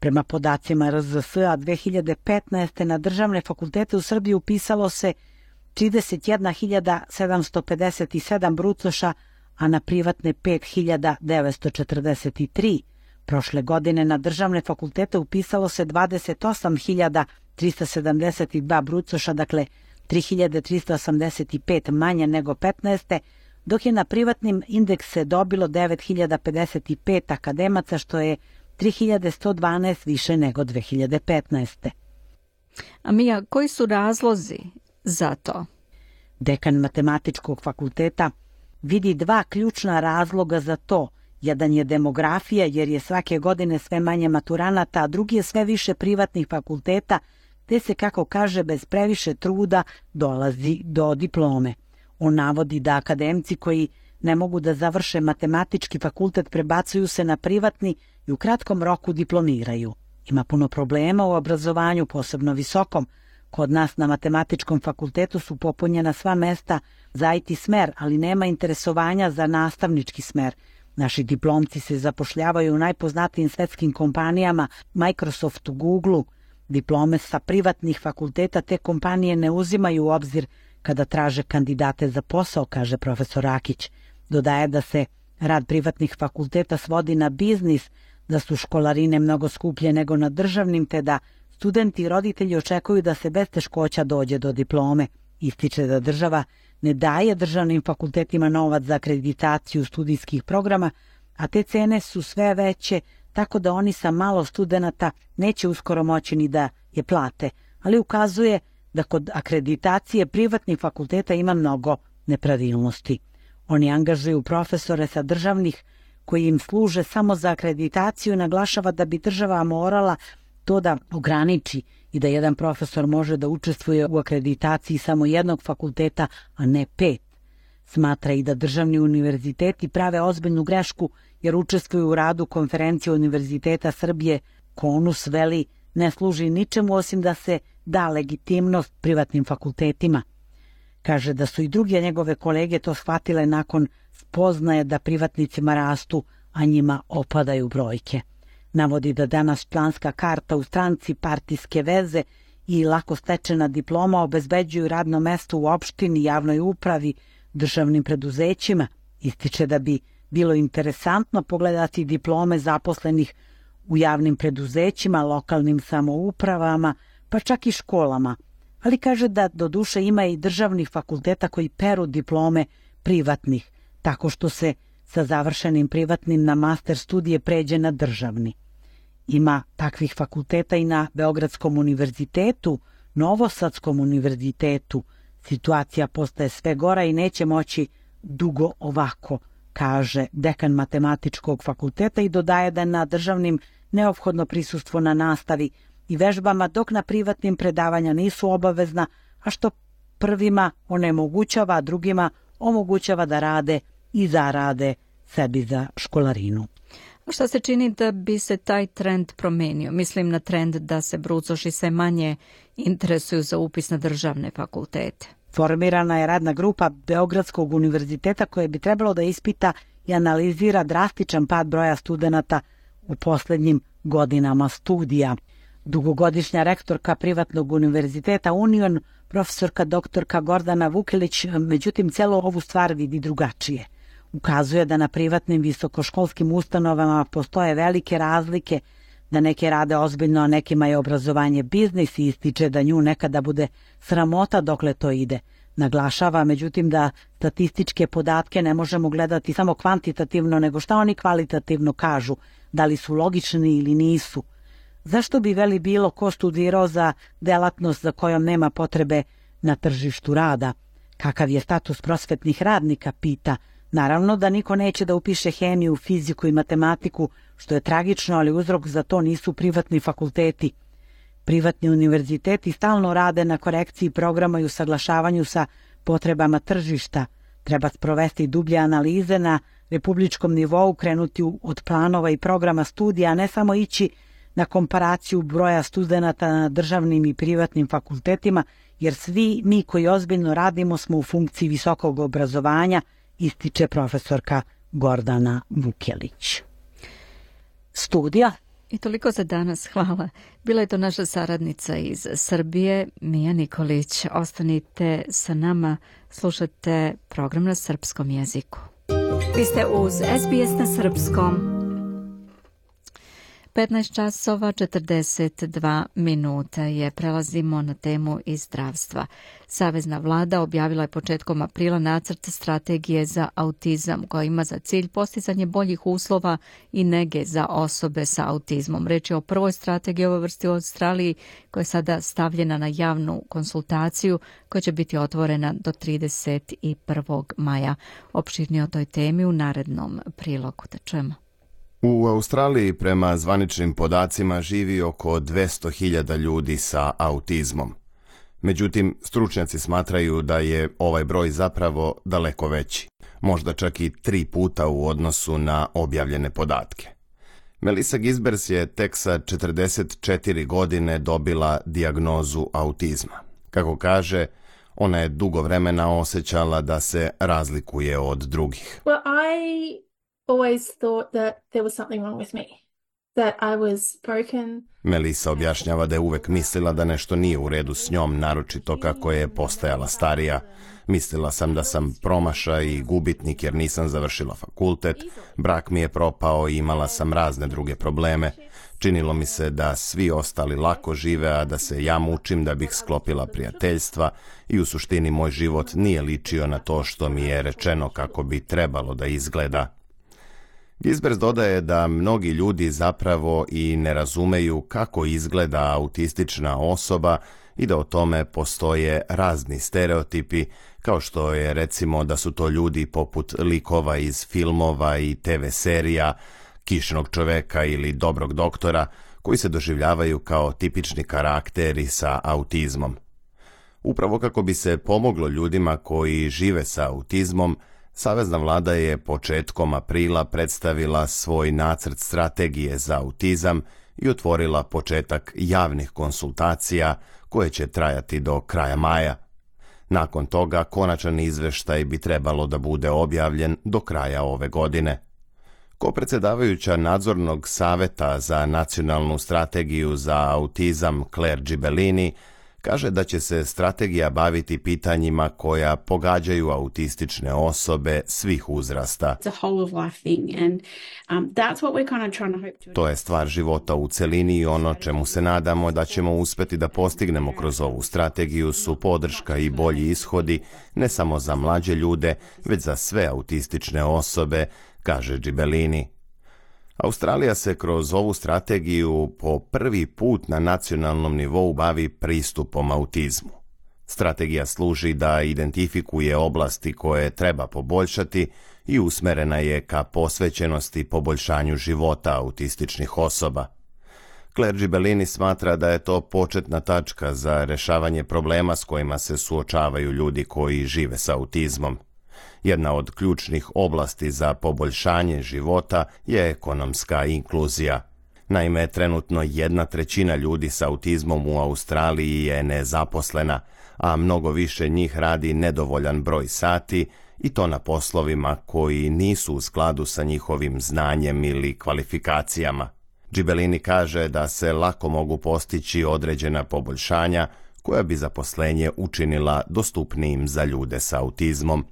Prema podacima RZS-a 2015. na državne fakultete u Srbiji upisalo se 31.757 brucoša, a na privatne 5.943. Prošle godine na državne fakultete upisalo se 28.372 brucoša, dakle 3.385 manje nego 15. dok je na privatnim indekse dobilo 9.055 akademaca, što je 3.112 više nego 2015. A Mija, koji su razlozi za to? Dekan Matematičkog fakulteta vidi 2 ključna razloga za to. Jedan je demografija, jer je svake godine sve manje maturanata, a drugi je sve više privatnih fakulteta, te se, kako kaže, bez previše truda dolazi do diplome. On navodi da akademci koji ne mogu da završe matematički fakultet prebacuju se na privatni i u kratkom roku diplomiraju. Ima puno problema u obrazovanju, posebno visokom. Kod nas na matematičkom fakultetu su popunjena sva mesta za IT smer, ali nema interesovanja za nastavnički smer. Naši diplomci se zapošljavaju u najpoznatijim svetskim kompanijama, Microsoftu, Googleu. Diplome sa privatnih fakulteta te kompanije ne uzimaju u obzir kada traže kandidate za posao, kaže profesor Rakić. Dodaje da se rad privatnih fakulteta svodi na biznis, da su školarine mnogo skuplje nego na državnim, te da studenti i roditelji očekuju da se bez teškoća dođe do diplome. Ističe da država ne daje državnim fakultetima novac za akreditaciju studijskih programa, a te cene su sve veće, tako da oni sa malo studenata neće uskoro moći ni da je plate, ali ukazuje da kod akreditacije privatnih fakulteta ima mnogo nepravilnosti. Oni angažuju profesore sa državnih koji im služe samo za akreditaciju i naglašava da bi država morala to da ograniči i da jedan profesor može da učestvuje u akreditaciji samo jednog fakulteta, a ne 5. Smatra i da državni univerziteti prave ozbiljnu grešku jer učestvuju u radu konferencije Univerziteta Srbije. KONUS veli ne služi ničemu osim da se da legitimnost privatnim fakultetima. Kaže da su i druge njegove kolege to shvatile nakon spoznaje da privatnicima rastu, a njima opadaju brojke. Navodi da danas članska karta u stranci, partijske veze i lako stečena diploma obezbeđuju radno mesto u opštini, javnoj upravi, državnim preduzećima. Ističe da bi bilo interesantno pogledati diplome zaposlenih u javnim preduzećima, lokalnim samoupravama, pa čak i školama. Ali kaže da doduše ima i državnih fakulteta koji peru diplome privatnih, tako što se sa završenim privatnim na master studije pređe na državni. Ima takvih fakulteta i na Beogradskom univerzitetu, Novosadskom univerzitetu. Situacija postaje sve gora i neće moći dugo ovako, kaže dekan matematičkog fakulteta i dodaje da na državnim neophodno prisustvo na nastavi i vežbama, dok na privatnim predavanja nisu obavezna, a što prvima onemogućava, a drugima omogućava da rade i zarade sebi za školarinu. A šta se čini da bi se taj trend promenio? Mislim na trend da se brucoši sve manje interesuju za upis na državne fakultete. Formirana je radna grupa Beogradskog univerziteta koja bi trebalo da ispita i analizira drastičan pad broja studenata u posljednjim godinama studija. Dugogodišnja rektorka privatnog univerziteta Union, profesorka doktorka Gordana Vukilić, međutim celu ovu stvar vidi drugačije. Ukazuje da na privatnim visokoškolskim ustanovama postoje velike razlike, da neke rade ozbiljno, a nekima je obrazovanje biznis i ističe da nju nekada bude sramota dokle to ide. Naglašava, međutim, da statističke podatke ne možemo gledati samo kvantitativno, nego šta oni kvalitativno kažu, da li su logični ili nisu. Zašto bi veli bilo ko studirao za delatnost za kojom nema potrebe na tržištu rada? Kakav je status prosvetnih radnika, pita. Naravno da niko neće da upiše hemiju, fiziku i matematiku, što je tragično, ali uzrok za to nisu privatni fakulteti. Privatni univerziteti stalno rade na korekciji programa i usaglašavanju sa potrebama tržišta. Treba sprovesti dublje analize na republičkom nivou, krenuti od planova i programa studija, a ne samo ići na komparaciju broja studenata na državnim i privatnim fakultetima, jer svi mi koji ozbiljno radimo smo u funkciji visokog obrazovanja, ističe profesorka Gordana Vukelić. Studija. I toliko za danas, hvala. Bila je to naša saradnica iz Srbije, Mija Nikolić. Ostanite sa nama, slušate program na srpskom jeziku. Vi ste uz SBS na srpskom. 15 časova 42 minuta je. Prelazimo na temu iz zdravstva. Savezna vlada objavila je početkom aprila nacrt strategije za autizam koja ima za cilj postizanje boljih uslova i nege za osobe sa autizmom. Reč je o prvoj strategiji ove vrste u Australiji koja je sada stavljena na javnu konsultaciju koja će biti otvorena do 31. maja. Opširnije o toj temi u narednom prilogu. Da čujemo. U Australiji prema zvaničnim podacima živi oko 200.000 ljudi sa autizmom. Međutim, stručnjaci smatraju da je ovaj broj zapravo daleko veći, možda čak i 3 puta u odnosu na objavljene podatke. Melissa Gisbers je tek sa 44 godine dobila dijagnozu autizma. Kako kaže, ona je dugo vremena osjećala da se razlikuje od drugih. Well, I always thought that there was something wrong with me, that I was broken. Melissa objašnjava da je uvek mislila da nešto nije u redu s njom, naročito kako je postajala starija. Mislila sam da sam promašaj i gubitnik jer nisam završila fakultet, brak mi je propao i imala sam razne druge probleme. Činilo mi se da svi ostali lako žive, a da se ja mučim da bih sklopila prijateljstva i u suštini moj život nije ličio na to što mi je rečeno kako bi trebalo da izgleda. Gisbers dodaje da mnogi ljudi zapravo i ne razumeju kako izgleda autistična osoba i da o tome postoje razni stereotipi, kao što je recimo da su to ljudi poput likova iz filmova i TV serija, Kišinog čoveka ili Dobrog doktora, koji se doživljavaju kao tipični karakteri sa autizmom. Upravo kako bi se pomoglo ljudima koji žive sa autizmom, Savezna vlada je početkom aprila predstavila svoj nacrt strategije za autizam i otvorila početak javnih konsultacija koje će trajati do kraja maja. Nakon toga konačan izveštaj bi trebalo da bude objavljen do kraja ove godine. Kopredsjedavajuća nadzornog saveta za nacionalnu strategiju za autizam Claire Gibellini kaže da će se strategija baviti pitanjima koja pogađaju autistične osobe svih uzrasta. To je stvar života u celini i ono čemu se nadamo da ćemo uspeti da postignemo kroz ovu strategiju su podrška i bolji ishodi ne samo za mlađe ljude, već za sve autistične osobe, kaže Gibellini. Australija se kroz ovu strategiju po prvi put na nacionalnom nivou bavi pristupom autizmu. Strategija služi da identifikuje oblasti koje treba poboljšati i usmerena je ka posvećenosti poboljšanju života autističnih osoba. Claire Gibellini smatra da je to početna tačka za rešavanje problema s kojima se suočavaju ljudi koji žive sa autizmom. Jedna od ključnih oblasti za poboljšanje života je ekonomska inkluzija. Naime, trenutno 1/3 ljudi sa autizmom u Australiji je nezaposlena, a mnogo više njih radi nedovoljan broj sati i to na poslovima koji nisu u skladu sa njihovim znanjem ili kvalifikacijama. Gibellini kaže da se lako mogu postići određena poboljšanja koja bi zaposlenje učinila dostupnijim za ljude sa autizmom.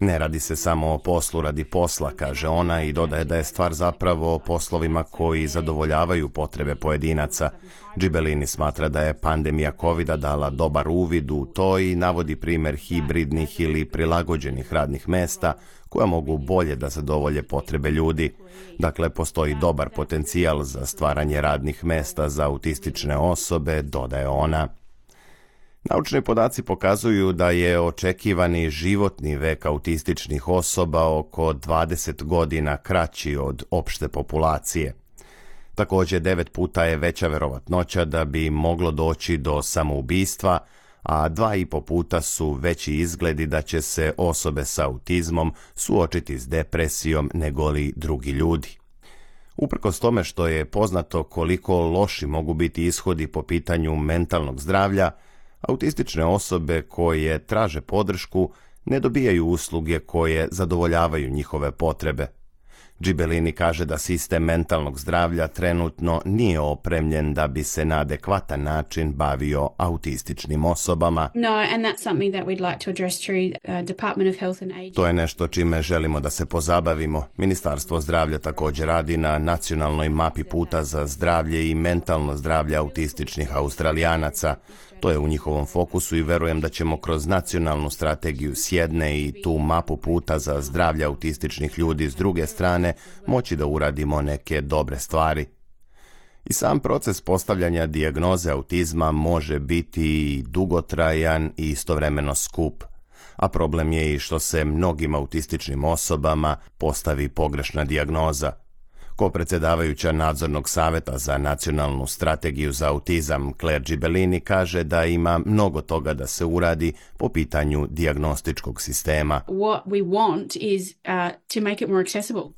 Ne radi se samo o poslu radi posla, kaže ona i dodaje da je stvar zapravo o poslovima koji zadovoljavaju potrebe pojedinaca. Gibellini smatra da je pandemija COVID-a dala dobar uvid u to i navodi primjer hibridnih ili prilagođenih radnih mesta koja mogu bolje da zadovolje potrebe ljudi. Dakle, postoji dobar potencijal za stvaranje radnih mesta za autistične osobe, dodaje ona. Naučni podaci pokazuju da je očekivani životni vek autističnih osoba oko 20 godina kraći od opšte populacije. Također 9 puta je veća verovatnoća da bi moglo doći do samoubistva, a 2,5 puta su veći izgledi da će se osobe sa autizmom suočiti s depresijom negoli drugi ljudi. Uprkos tome što je poznato koliko loši mogu biti ishodi po pitanju mentalnog zdravlja, autistične osobe koje traže podršku ne dobijaju usluge koje zadovoljavaju njihove potrebe. Gibellini kaže da sistem mentalnog zdravlja trenutno nije opremljen da bi se na adekvatan način bavio autističnim osobama. To je nešto čime želimo da se pozabavimo. Ministarstvo zdravlja također radi na nacionalnoj mapi puta za zdravlje i mentalno zdravlje autističnih Australijanaca. To je u njihovom fokusu i verujem da ćemo kroz nacionalnu strategiju s jedne i tu mapu puta za zdravlje autističnih ljudi s druge strane moći da uradimo neke dobre stvari. I sam proces postavljanja dijagnoze autizma može biti dugotrajan i istovremeno skup, a problem je i što se mnogim autističnim osobama postavi pogrešna dijagnoza. Kopredsjedavajuća nadzornog saveta za nacionalnu strategiju za autizam Claire Gibellini kaže da ima mnogo toga da se uradi po pitanju dijagnostičkog sistema.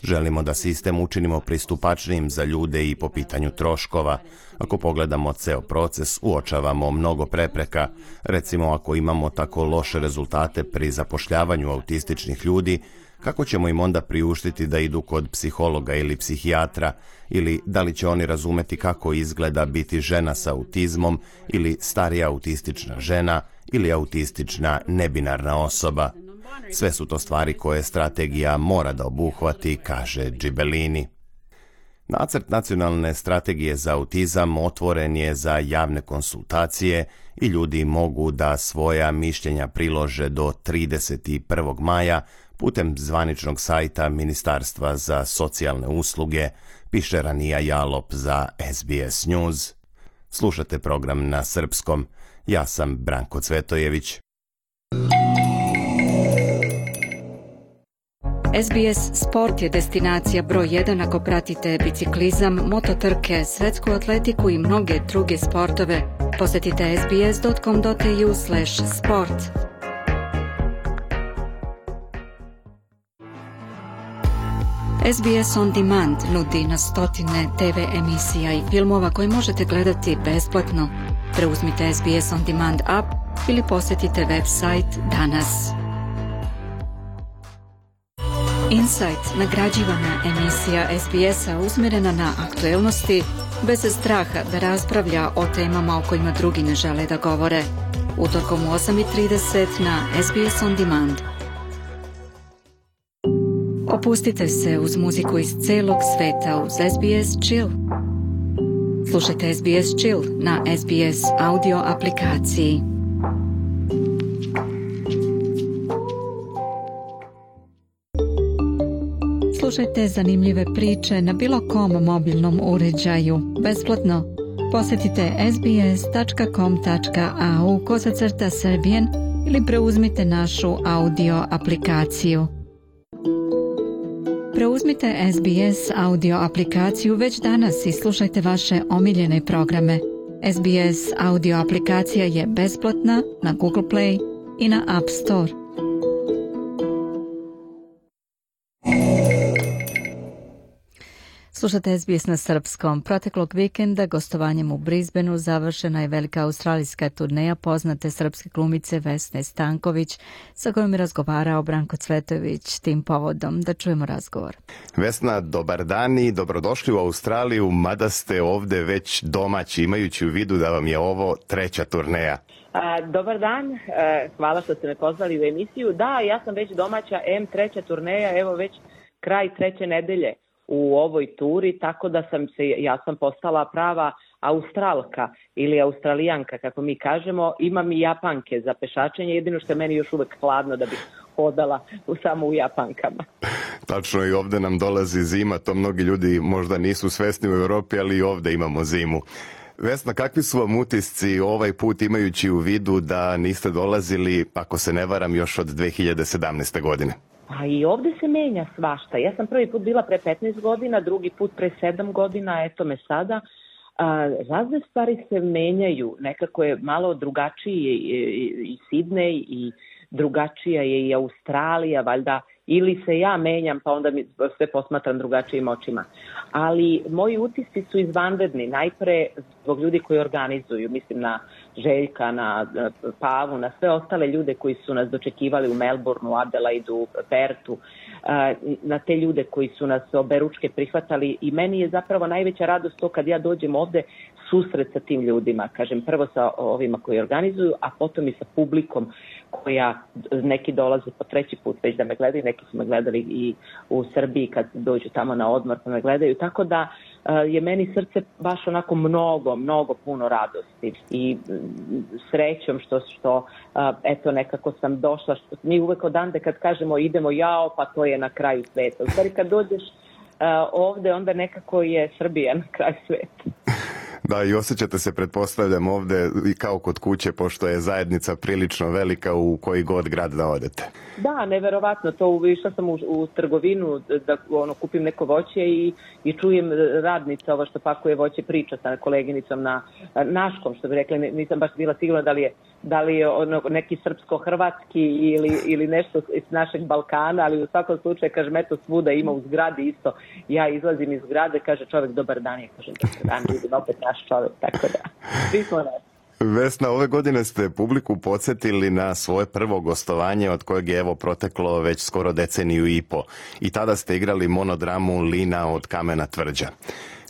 Želimo da sistem učinimo pristupačnijim za ljude i po pitanju troškova. Ako pogledamo ceo proces, uočavamo mnogo prepreka. Recimo, ako imamo tako loše rezultate pri zapošljavanju autističnih ljudi, kako ćemo im onda priuštiti da idu kod psihologa ili psihijatra, ili da li će oni razumeti kako izgleda biti žena sa autizmom ili starija autistična žena ili autistična nebinarna osoba. Sve su to stvari koje strategija mora da obuhvati, kaže Gibellini. Nacrt nacionalne strategije za autizam otvoren je za javne konsultacije i ljudi mogu da svoja mišljenja prilože do 31. maja putem zvaničnog sajta Ministarstva za socijalne usluge, piše Ranija Jalop za SBS News. Slušate program na srpskom. Ja sam Branko Cvetojević. SBS Sport je destinacija broj 1 ako pratite biciklizam, mototrke, svetsku atletiku i mnoge druge sportove. Posjetite sbs.com.au/sport. SBS On Demand nudi na stotine TV emisija i filmova koje možete gledati besplatno. Preuzmite SBS On Demand app ili posjetite website danas. Insight, nagrađivana emisija SBS-a usmjerena na aktuelnosti, bez straha da raspravlja o temama o kojima drugi ne žele da govore. Utorkom u 8:30 na SBS On Demand. Opustite se uz muziku iz celog sveta uz SBS Chill. Slušajte SBS Chill na SBS audio aplikaciji. Slušajte zanimljive priče na bilo kom mobilnom uređaju, besplatno. Posjetite sbs.com.au/Serbian ili preuzmite našu audio aplikaciju. Preuzmite SBS audio aplikaciju već danas i slušajte vaše omiljene programe. SBS audio aplikacija je besplatna na Google Play i na App Store. Slušate SBS na srpskom. Proteklog vikenda gostovanjem u Brisbaneu završena je velika australijska turneja poznate srpske glumice Vesne Stanković, sa kojom je razgovarao Branko Cvetojević tim povodom. Da čujemo razgovor. Vesna, dobar dan i dobrodošli u Australiju, mada ste ovde već domaći, imajući u vidu da vam je ovo treća turneja. Dobar dan, hvala što ste me pozvali u emisiju. Da, ja sam već domaća, treća turneja, evo već kraj treće nedelje u ovoj turi, tako da ja sam postala prava Australka ili Australijanka, kako mi kažemo. Imam i Japanke za pešačenje, jedino što je meni još uvek hladno da bih hodala samo u Japankama. Tačno, i ovde nam dolazi zima, to mnogi ljudi možda nisu svesni u Europi, ali i ovde imamo zimu. Vesna, kakvi su vam utisci ovaj put, imajući u vidu da niste dolazili, ako se ne varam, još od 2017. godine? A i ovde se menja svašta. Ja sam prvi put bila pre 15 godina, drugi put pre 7 godina, eto me sada. Razne stvari se menjaju, nekako je malo drugačiji i Sidnej i drugačija je i Australija, valjda ili se ja menjam pa onda mi sve posmatram drugačijim očima. Ali moji utisci su izvanredni, najpre zbog ljudi koji organizuju, mislim na Željka, na Pavu, na sve ostale ljude koji su nas dočekivali u Melbourneu, Adelaidu, Pertu, na te ljude koji su nas oberučke prihvatali i meni je zapravo najveća radost to kad ja dođem ovde susret sa tim ljudima, kažem prvo sa ovima koji organizuju, a potom i sa publikom koja neki dolaze po treći put već da me gledaju, neki su me gledali i u Srbiji kad dođu tamo na odmor pa me gledaju, tako da je meni srce baš onako mnogo puno radosti i srećom što eto nekako sam došla, što mi uvek odande kad kažemo idemo jao pa to je na kraju sveta, u stvari kad dođeš ovde onda nekako je Srbija na kraju sveta. Da, i osjećate se, pretpostavljam, ovde i kao kod kuće, pošto je zajednica prilično velika u koji god grad da odete. Da, neverovatno. To išla sam u trgovinu da kupim neko voće i čujem radnica ovo što pakuje voće priča sa koleginicom na naškom, što bi rekla, nisam baš bila sigurna da li je neki srpsko-hrvatski ili nešto iz našeg Balkana, ali u svakom slučaju, kažem, eto svuda ima u zgradi isto. Ja izlazim iz zgrade, kaže čovjek dobar dan, ja kažem dobar dan, vidim opet naš čovjek, tako da, svi smo nas. Vesna, ove godine ste publiku podsjetili na svoje prvo gostovanje od kojeg je evo proteklo već skoro deceniju i po. I tada ste igrali monodramu Lina od kamena tvrđa.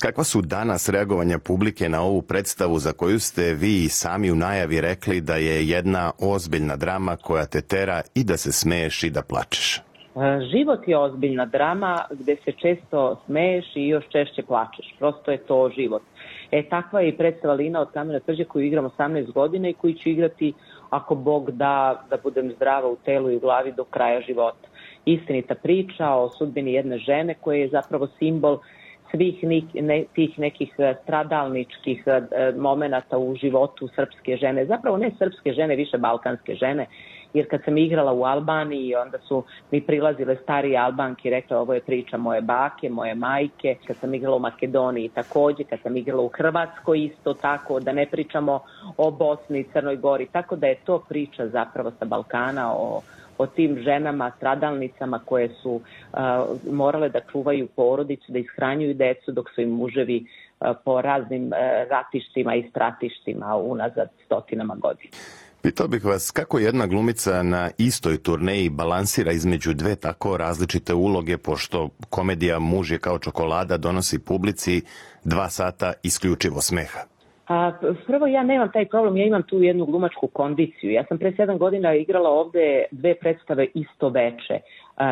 Kakva su danas reagovanja publike na ovu predstavu za koju ste vi i sami u najavi rekli da je jedna ozbiljna drama koja te tera i da se smeješ i da plačeš? Život je ozbiljna drama gde se često smeješ i još češće plačeš. Prosto je to život. Takva je i predstava Lina od kamena tvrđe koju igram 18 godina i koju ću igrati, ako Bog da budem zdrava u telu i u glavi do kraja života. Istinita priča o sudbini jedne žene koja je zapravo simbol svih tih nekih stradalničkih momenata u životu srpske žene. Zapravo ne srpske žene, više balkanske žene. Jer kad sam igrala u Albaniji, onda su mi prilazile starije Albanke i rekla ovo je priča moje bake, moje majke. Kad sam igrala u Makedoniji takođe, kad sam igrala u Hrvatskoj isto tako, da ne pričamo o Bosni i Crnoj Gori. Tako da je to priča zapravo sa Balkana o tim ženama, stradalnicama koje su morale da čuvaju porodicu, da ishranjuju decu dok su im muževi po raznim ratištima i stratištima unazad stotinama godina. Pitao bih vas kako jedna glumica na istoj turneji balansira između dve tako različite uloge, pošto komedija Muž je kao čokolada donosi publici 2 sata isključivo smeha. Prvo, ja nemam taj problem, ja imam tu jednu glumačku kondiciju. Ja sam pre 7 godina igrala ovde 2 predstave isto veče.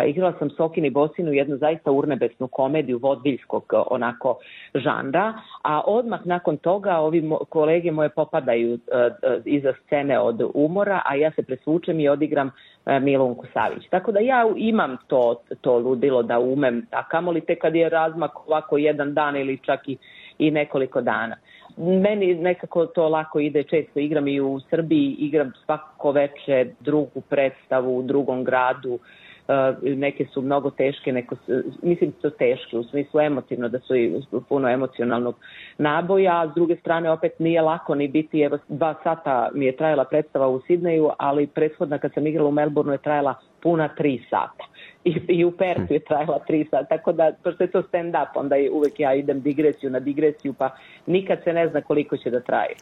Igrala sam Sokin i Bosinu, jednu zaista urnebesnu komediju vodviljskog onako žanra, a odmah nakon toga ovi kolege moje popadaju iza scene od umora, a ja se presvučem i odigram Milunku Savić. Tako da ja imam to ludilo da umem, a kamoli te kad je razmak ovako jedan dan ili čak i nekoliko dana. Meni nekako to lako ide, često igram i u Srbiji, igram svako veče drugu predstavu u drugom gradu, neke su mnogo teške, mislim da su teške u smislu emotivno, da su i puno emocionalnog naboja, a s druge strane opet nije lako ni biti, evo 2 sata mi je trajala predstava u Sidneju, ali prethodna kad sam igrala u Melbourneu je trajala puna 3 sata. I u Pertu je trajala 3 sata, tako da, pošto je to stand-up, onda uvek ja idem digresiju na digresiju, pa nikad se ne zna koliko će da traje.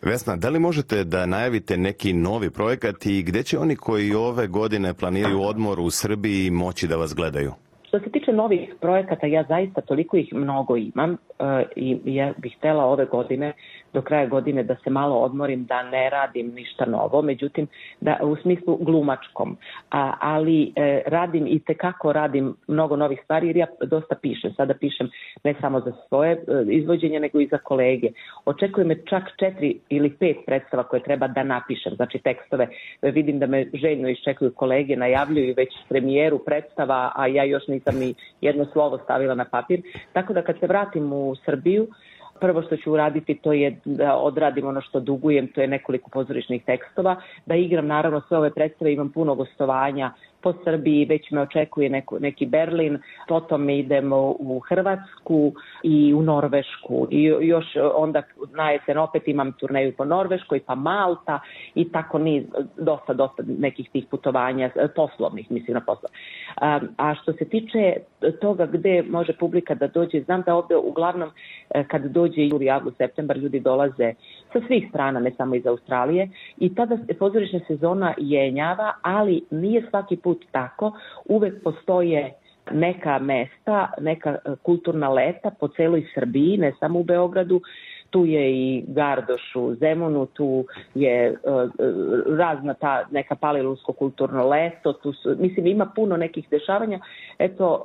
Vesna, da li možete da najavite neki novi projekat i gde će oni koji ove godine planiraju odmor u Srbiji moći da vas gledaju? Što se tiče novih projekata, ja zaista toliko ih mnogo imam i ja bih htela ove godine, do kraja godine, da se malo odmorim, da ne radim ništa novo, međutim, da u smislu glumačkom, ali radim mnogo novih stvari jer ja dosta pišem. Sada pišem ne samo za svoje izvođenje, nego i za kolege. Očekuje me čak 4 ili 5 predstava koje treba da napišem, znači tekstove. Vidim da me željno iščekuju kolege, najavljuju već premijeru predstava, a ja još nisam ni jedno slovo stavila na papir. Tako da kad se vratim u Srbiju, prvo što ću uraditi to je da odradim ono što dugujem, to je nekoliko pozorišnih tekstova, da igram naravno sve ove predstave, imam puno gostovanja po Srbiji, već me očekuje neki Berlin, potom idemo u Hrvatsku i u Norvešku i još onda na jesen opet imam turneju po Norveškoj, pa Malta i tako niz, dosta nekih tih putovanja, poslovnih, mislim na posla. A što se tiče toga gde može publika da dođe, znam da ovde uglavnom kad dođe juli, avgust, septembar, ljudi dolaze sa svih strana, ne samo iz Australije, i tada pozorišna sezona jenjava, ali nije svaki put tako. Uvek postoje neka mesta, neka kulturna leta po celoj Srbiji, ne samo u Beogradu. Tu je i Gardoš u Zemunu, tu je razna ta neka palilulsko kulturno leto, mislim ima puno nekih dešavanja. Eto,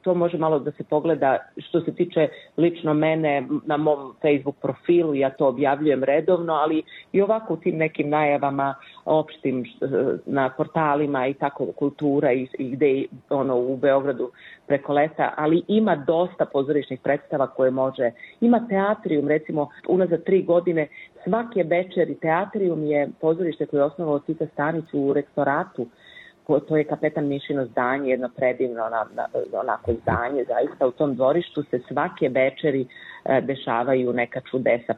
to može malo da se pogleda što se tiče lično mene na mom Facebook profilu, ja to objavljujem redovno, ali i ovako u tim nekim najavama opštim na portalima i tako kultura i gde u Beogradu preko leta, ali ima dosta pozorišnih predstava koje može, ima teatrijum, recimo unazad 3 godine, svake večeri teatrijum je pozorište koje je osnovao Tita Stanić u Rektoratu, to je Kapetan Mišino zdanje, jedno predivno onako zdanje, zaista u tom dvorištu se svake večeri dešavaju neka čudesa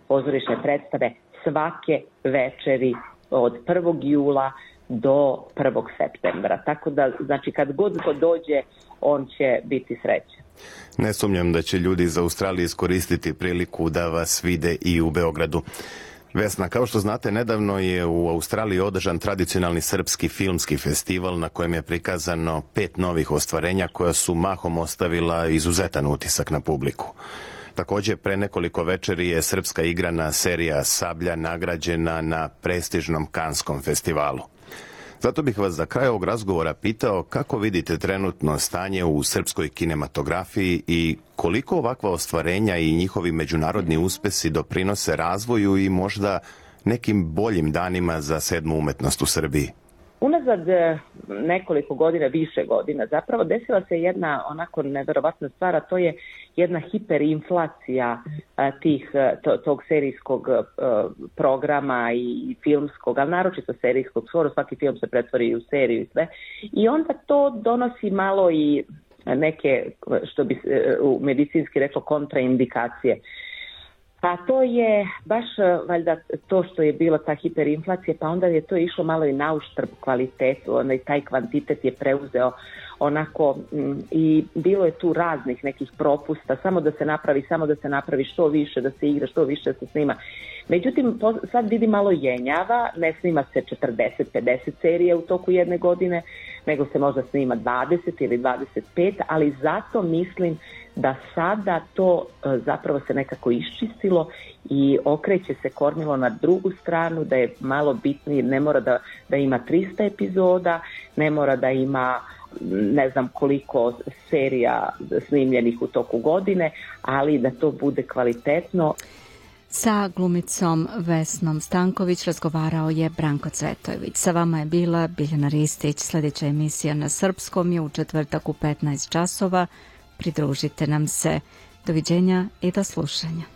pozorišne predstave, svake večeri od 1. jula do 1. septembra. Tako da, znači, kad god ko dođe, on će biti srećan. Ne sumnjam da će ljudi iz Australije iskoristiti priliku da vas vide i u Beogradu. Vesna, kao što znate, nedavno je u Australiji održan tradicionalni srpski filmski festival na kojem je prikazano 5 novih ostvarenja koja su mahom ostavila izuzetan utisak na publiku. Također, pre nekoliko večeri je srpska igrana serija Sablja nagrađena na prestižnom Kanskom festivalu. Zato bih vas za kraj ovog razgovora pitao kako vidite trenutno stanje u srpskoj kinematografiji i koliko ovakva ostvarenja i njihovi međunarodni uspesi doprinose razvoju i možda nekim boljim danima za sedmu umetnost u Srbiji. Unazad nekoliko godina, više godina, zapravo desila se jedna onako neverovatna stvar, a to je jedna hiperinflacija tog serijskog programa i filmskog, ali naročito serijskog, skoro svaki film se pretvori u seriju i sve. I onda to donosi malo i neke, što bi u medicinski reklo, kontraindikacije. A to je baš valjda to što je bila ta hiperinflacija, pa onda je to išlo malo i na uštrb kvalitetu, taj kvantitet je preuzeo onako i bilo je tu raznih nekih propusta, samo da se napravi što više, da se igra, što više da se snima. Međutim, sad vidi malo jenjava, ne snima se 40-50 serija u toku jedne godine, nego se možda snima 20 ili 25, ali zato mislim da sada to zapravo se nekako iščistilo i okreće se kormilo na drugu stranu, da je malo bitnije, ne mora da ima 300 epizoda, ne mora da ima ne znam koliko serija snimljenih u toku godine, ali da to bude kvalitetno. Sa glumicom Vesnom Stanković razgovarao je Branko Cvetojević. Sa vama je bila Biljana Ristić. Sljedeća emisija na srpskom je u četvrtak u 15 časova. Pridružite nam se. Doviđenja i do slušanja.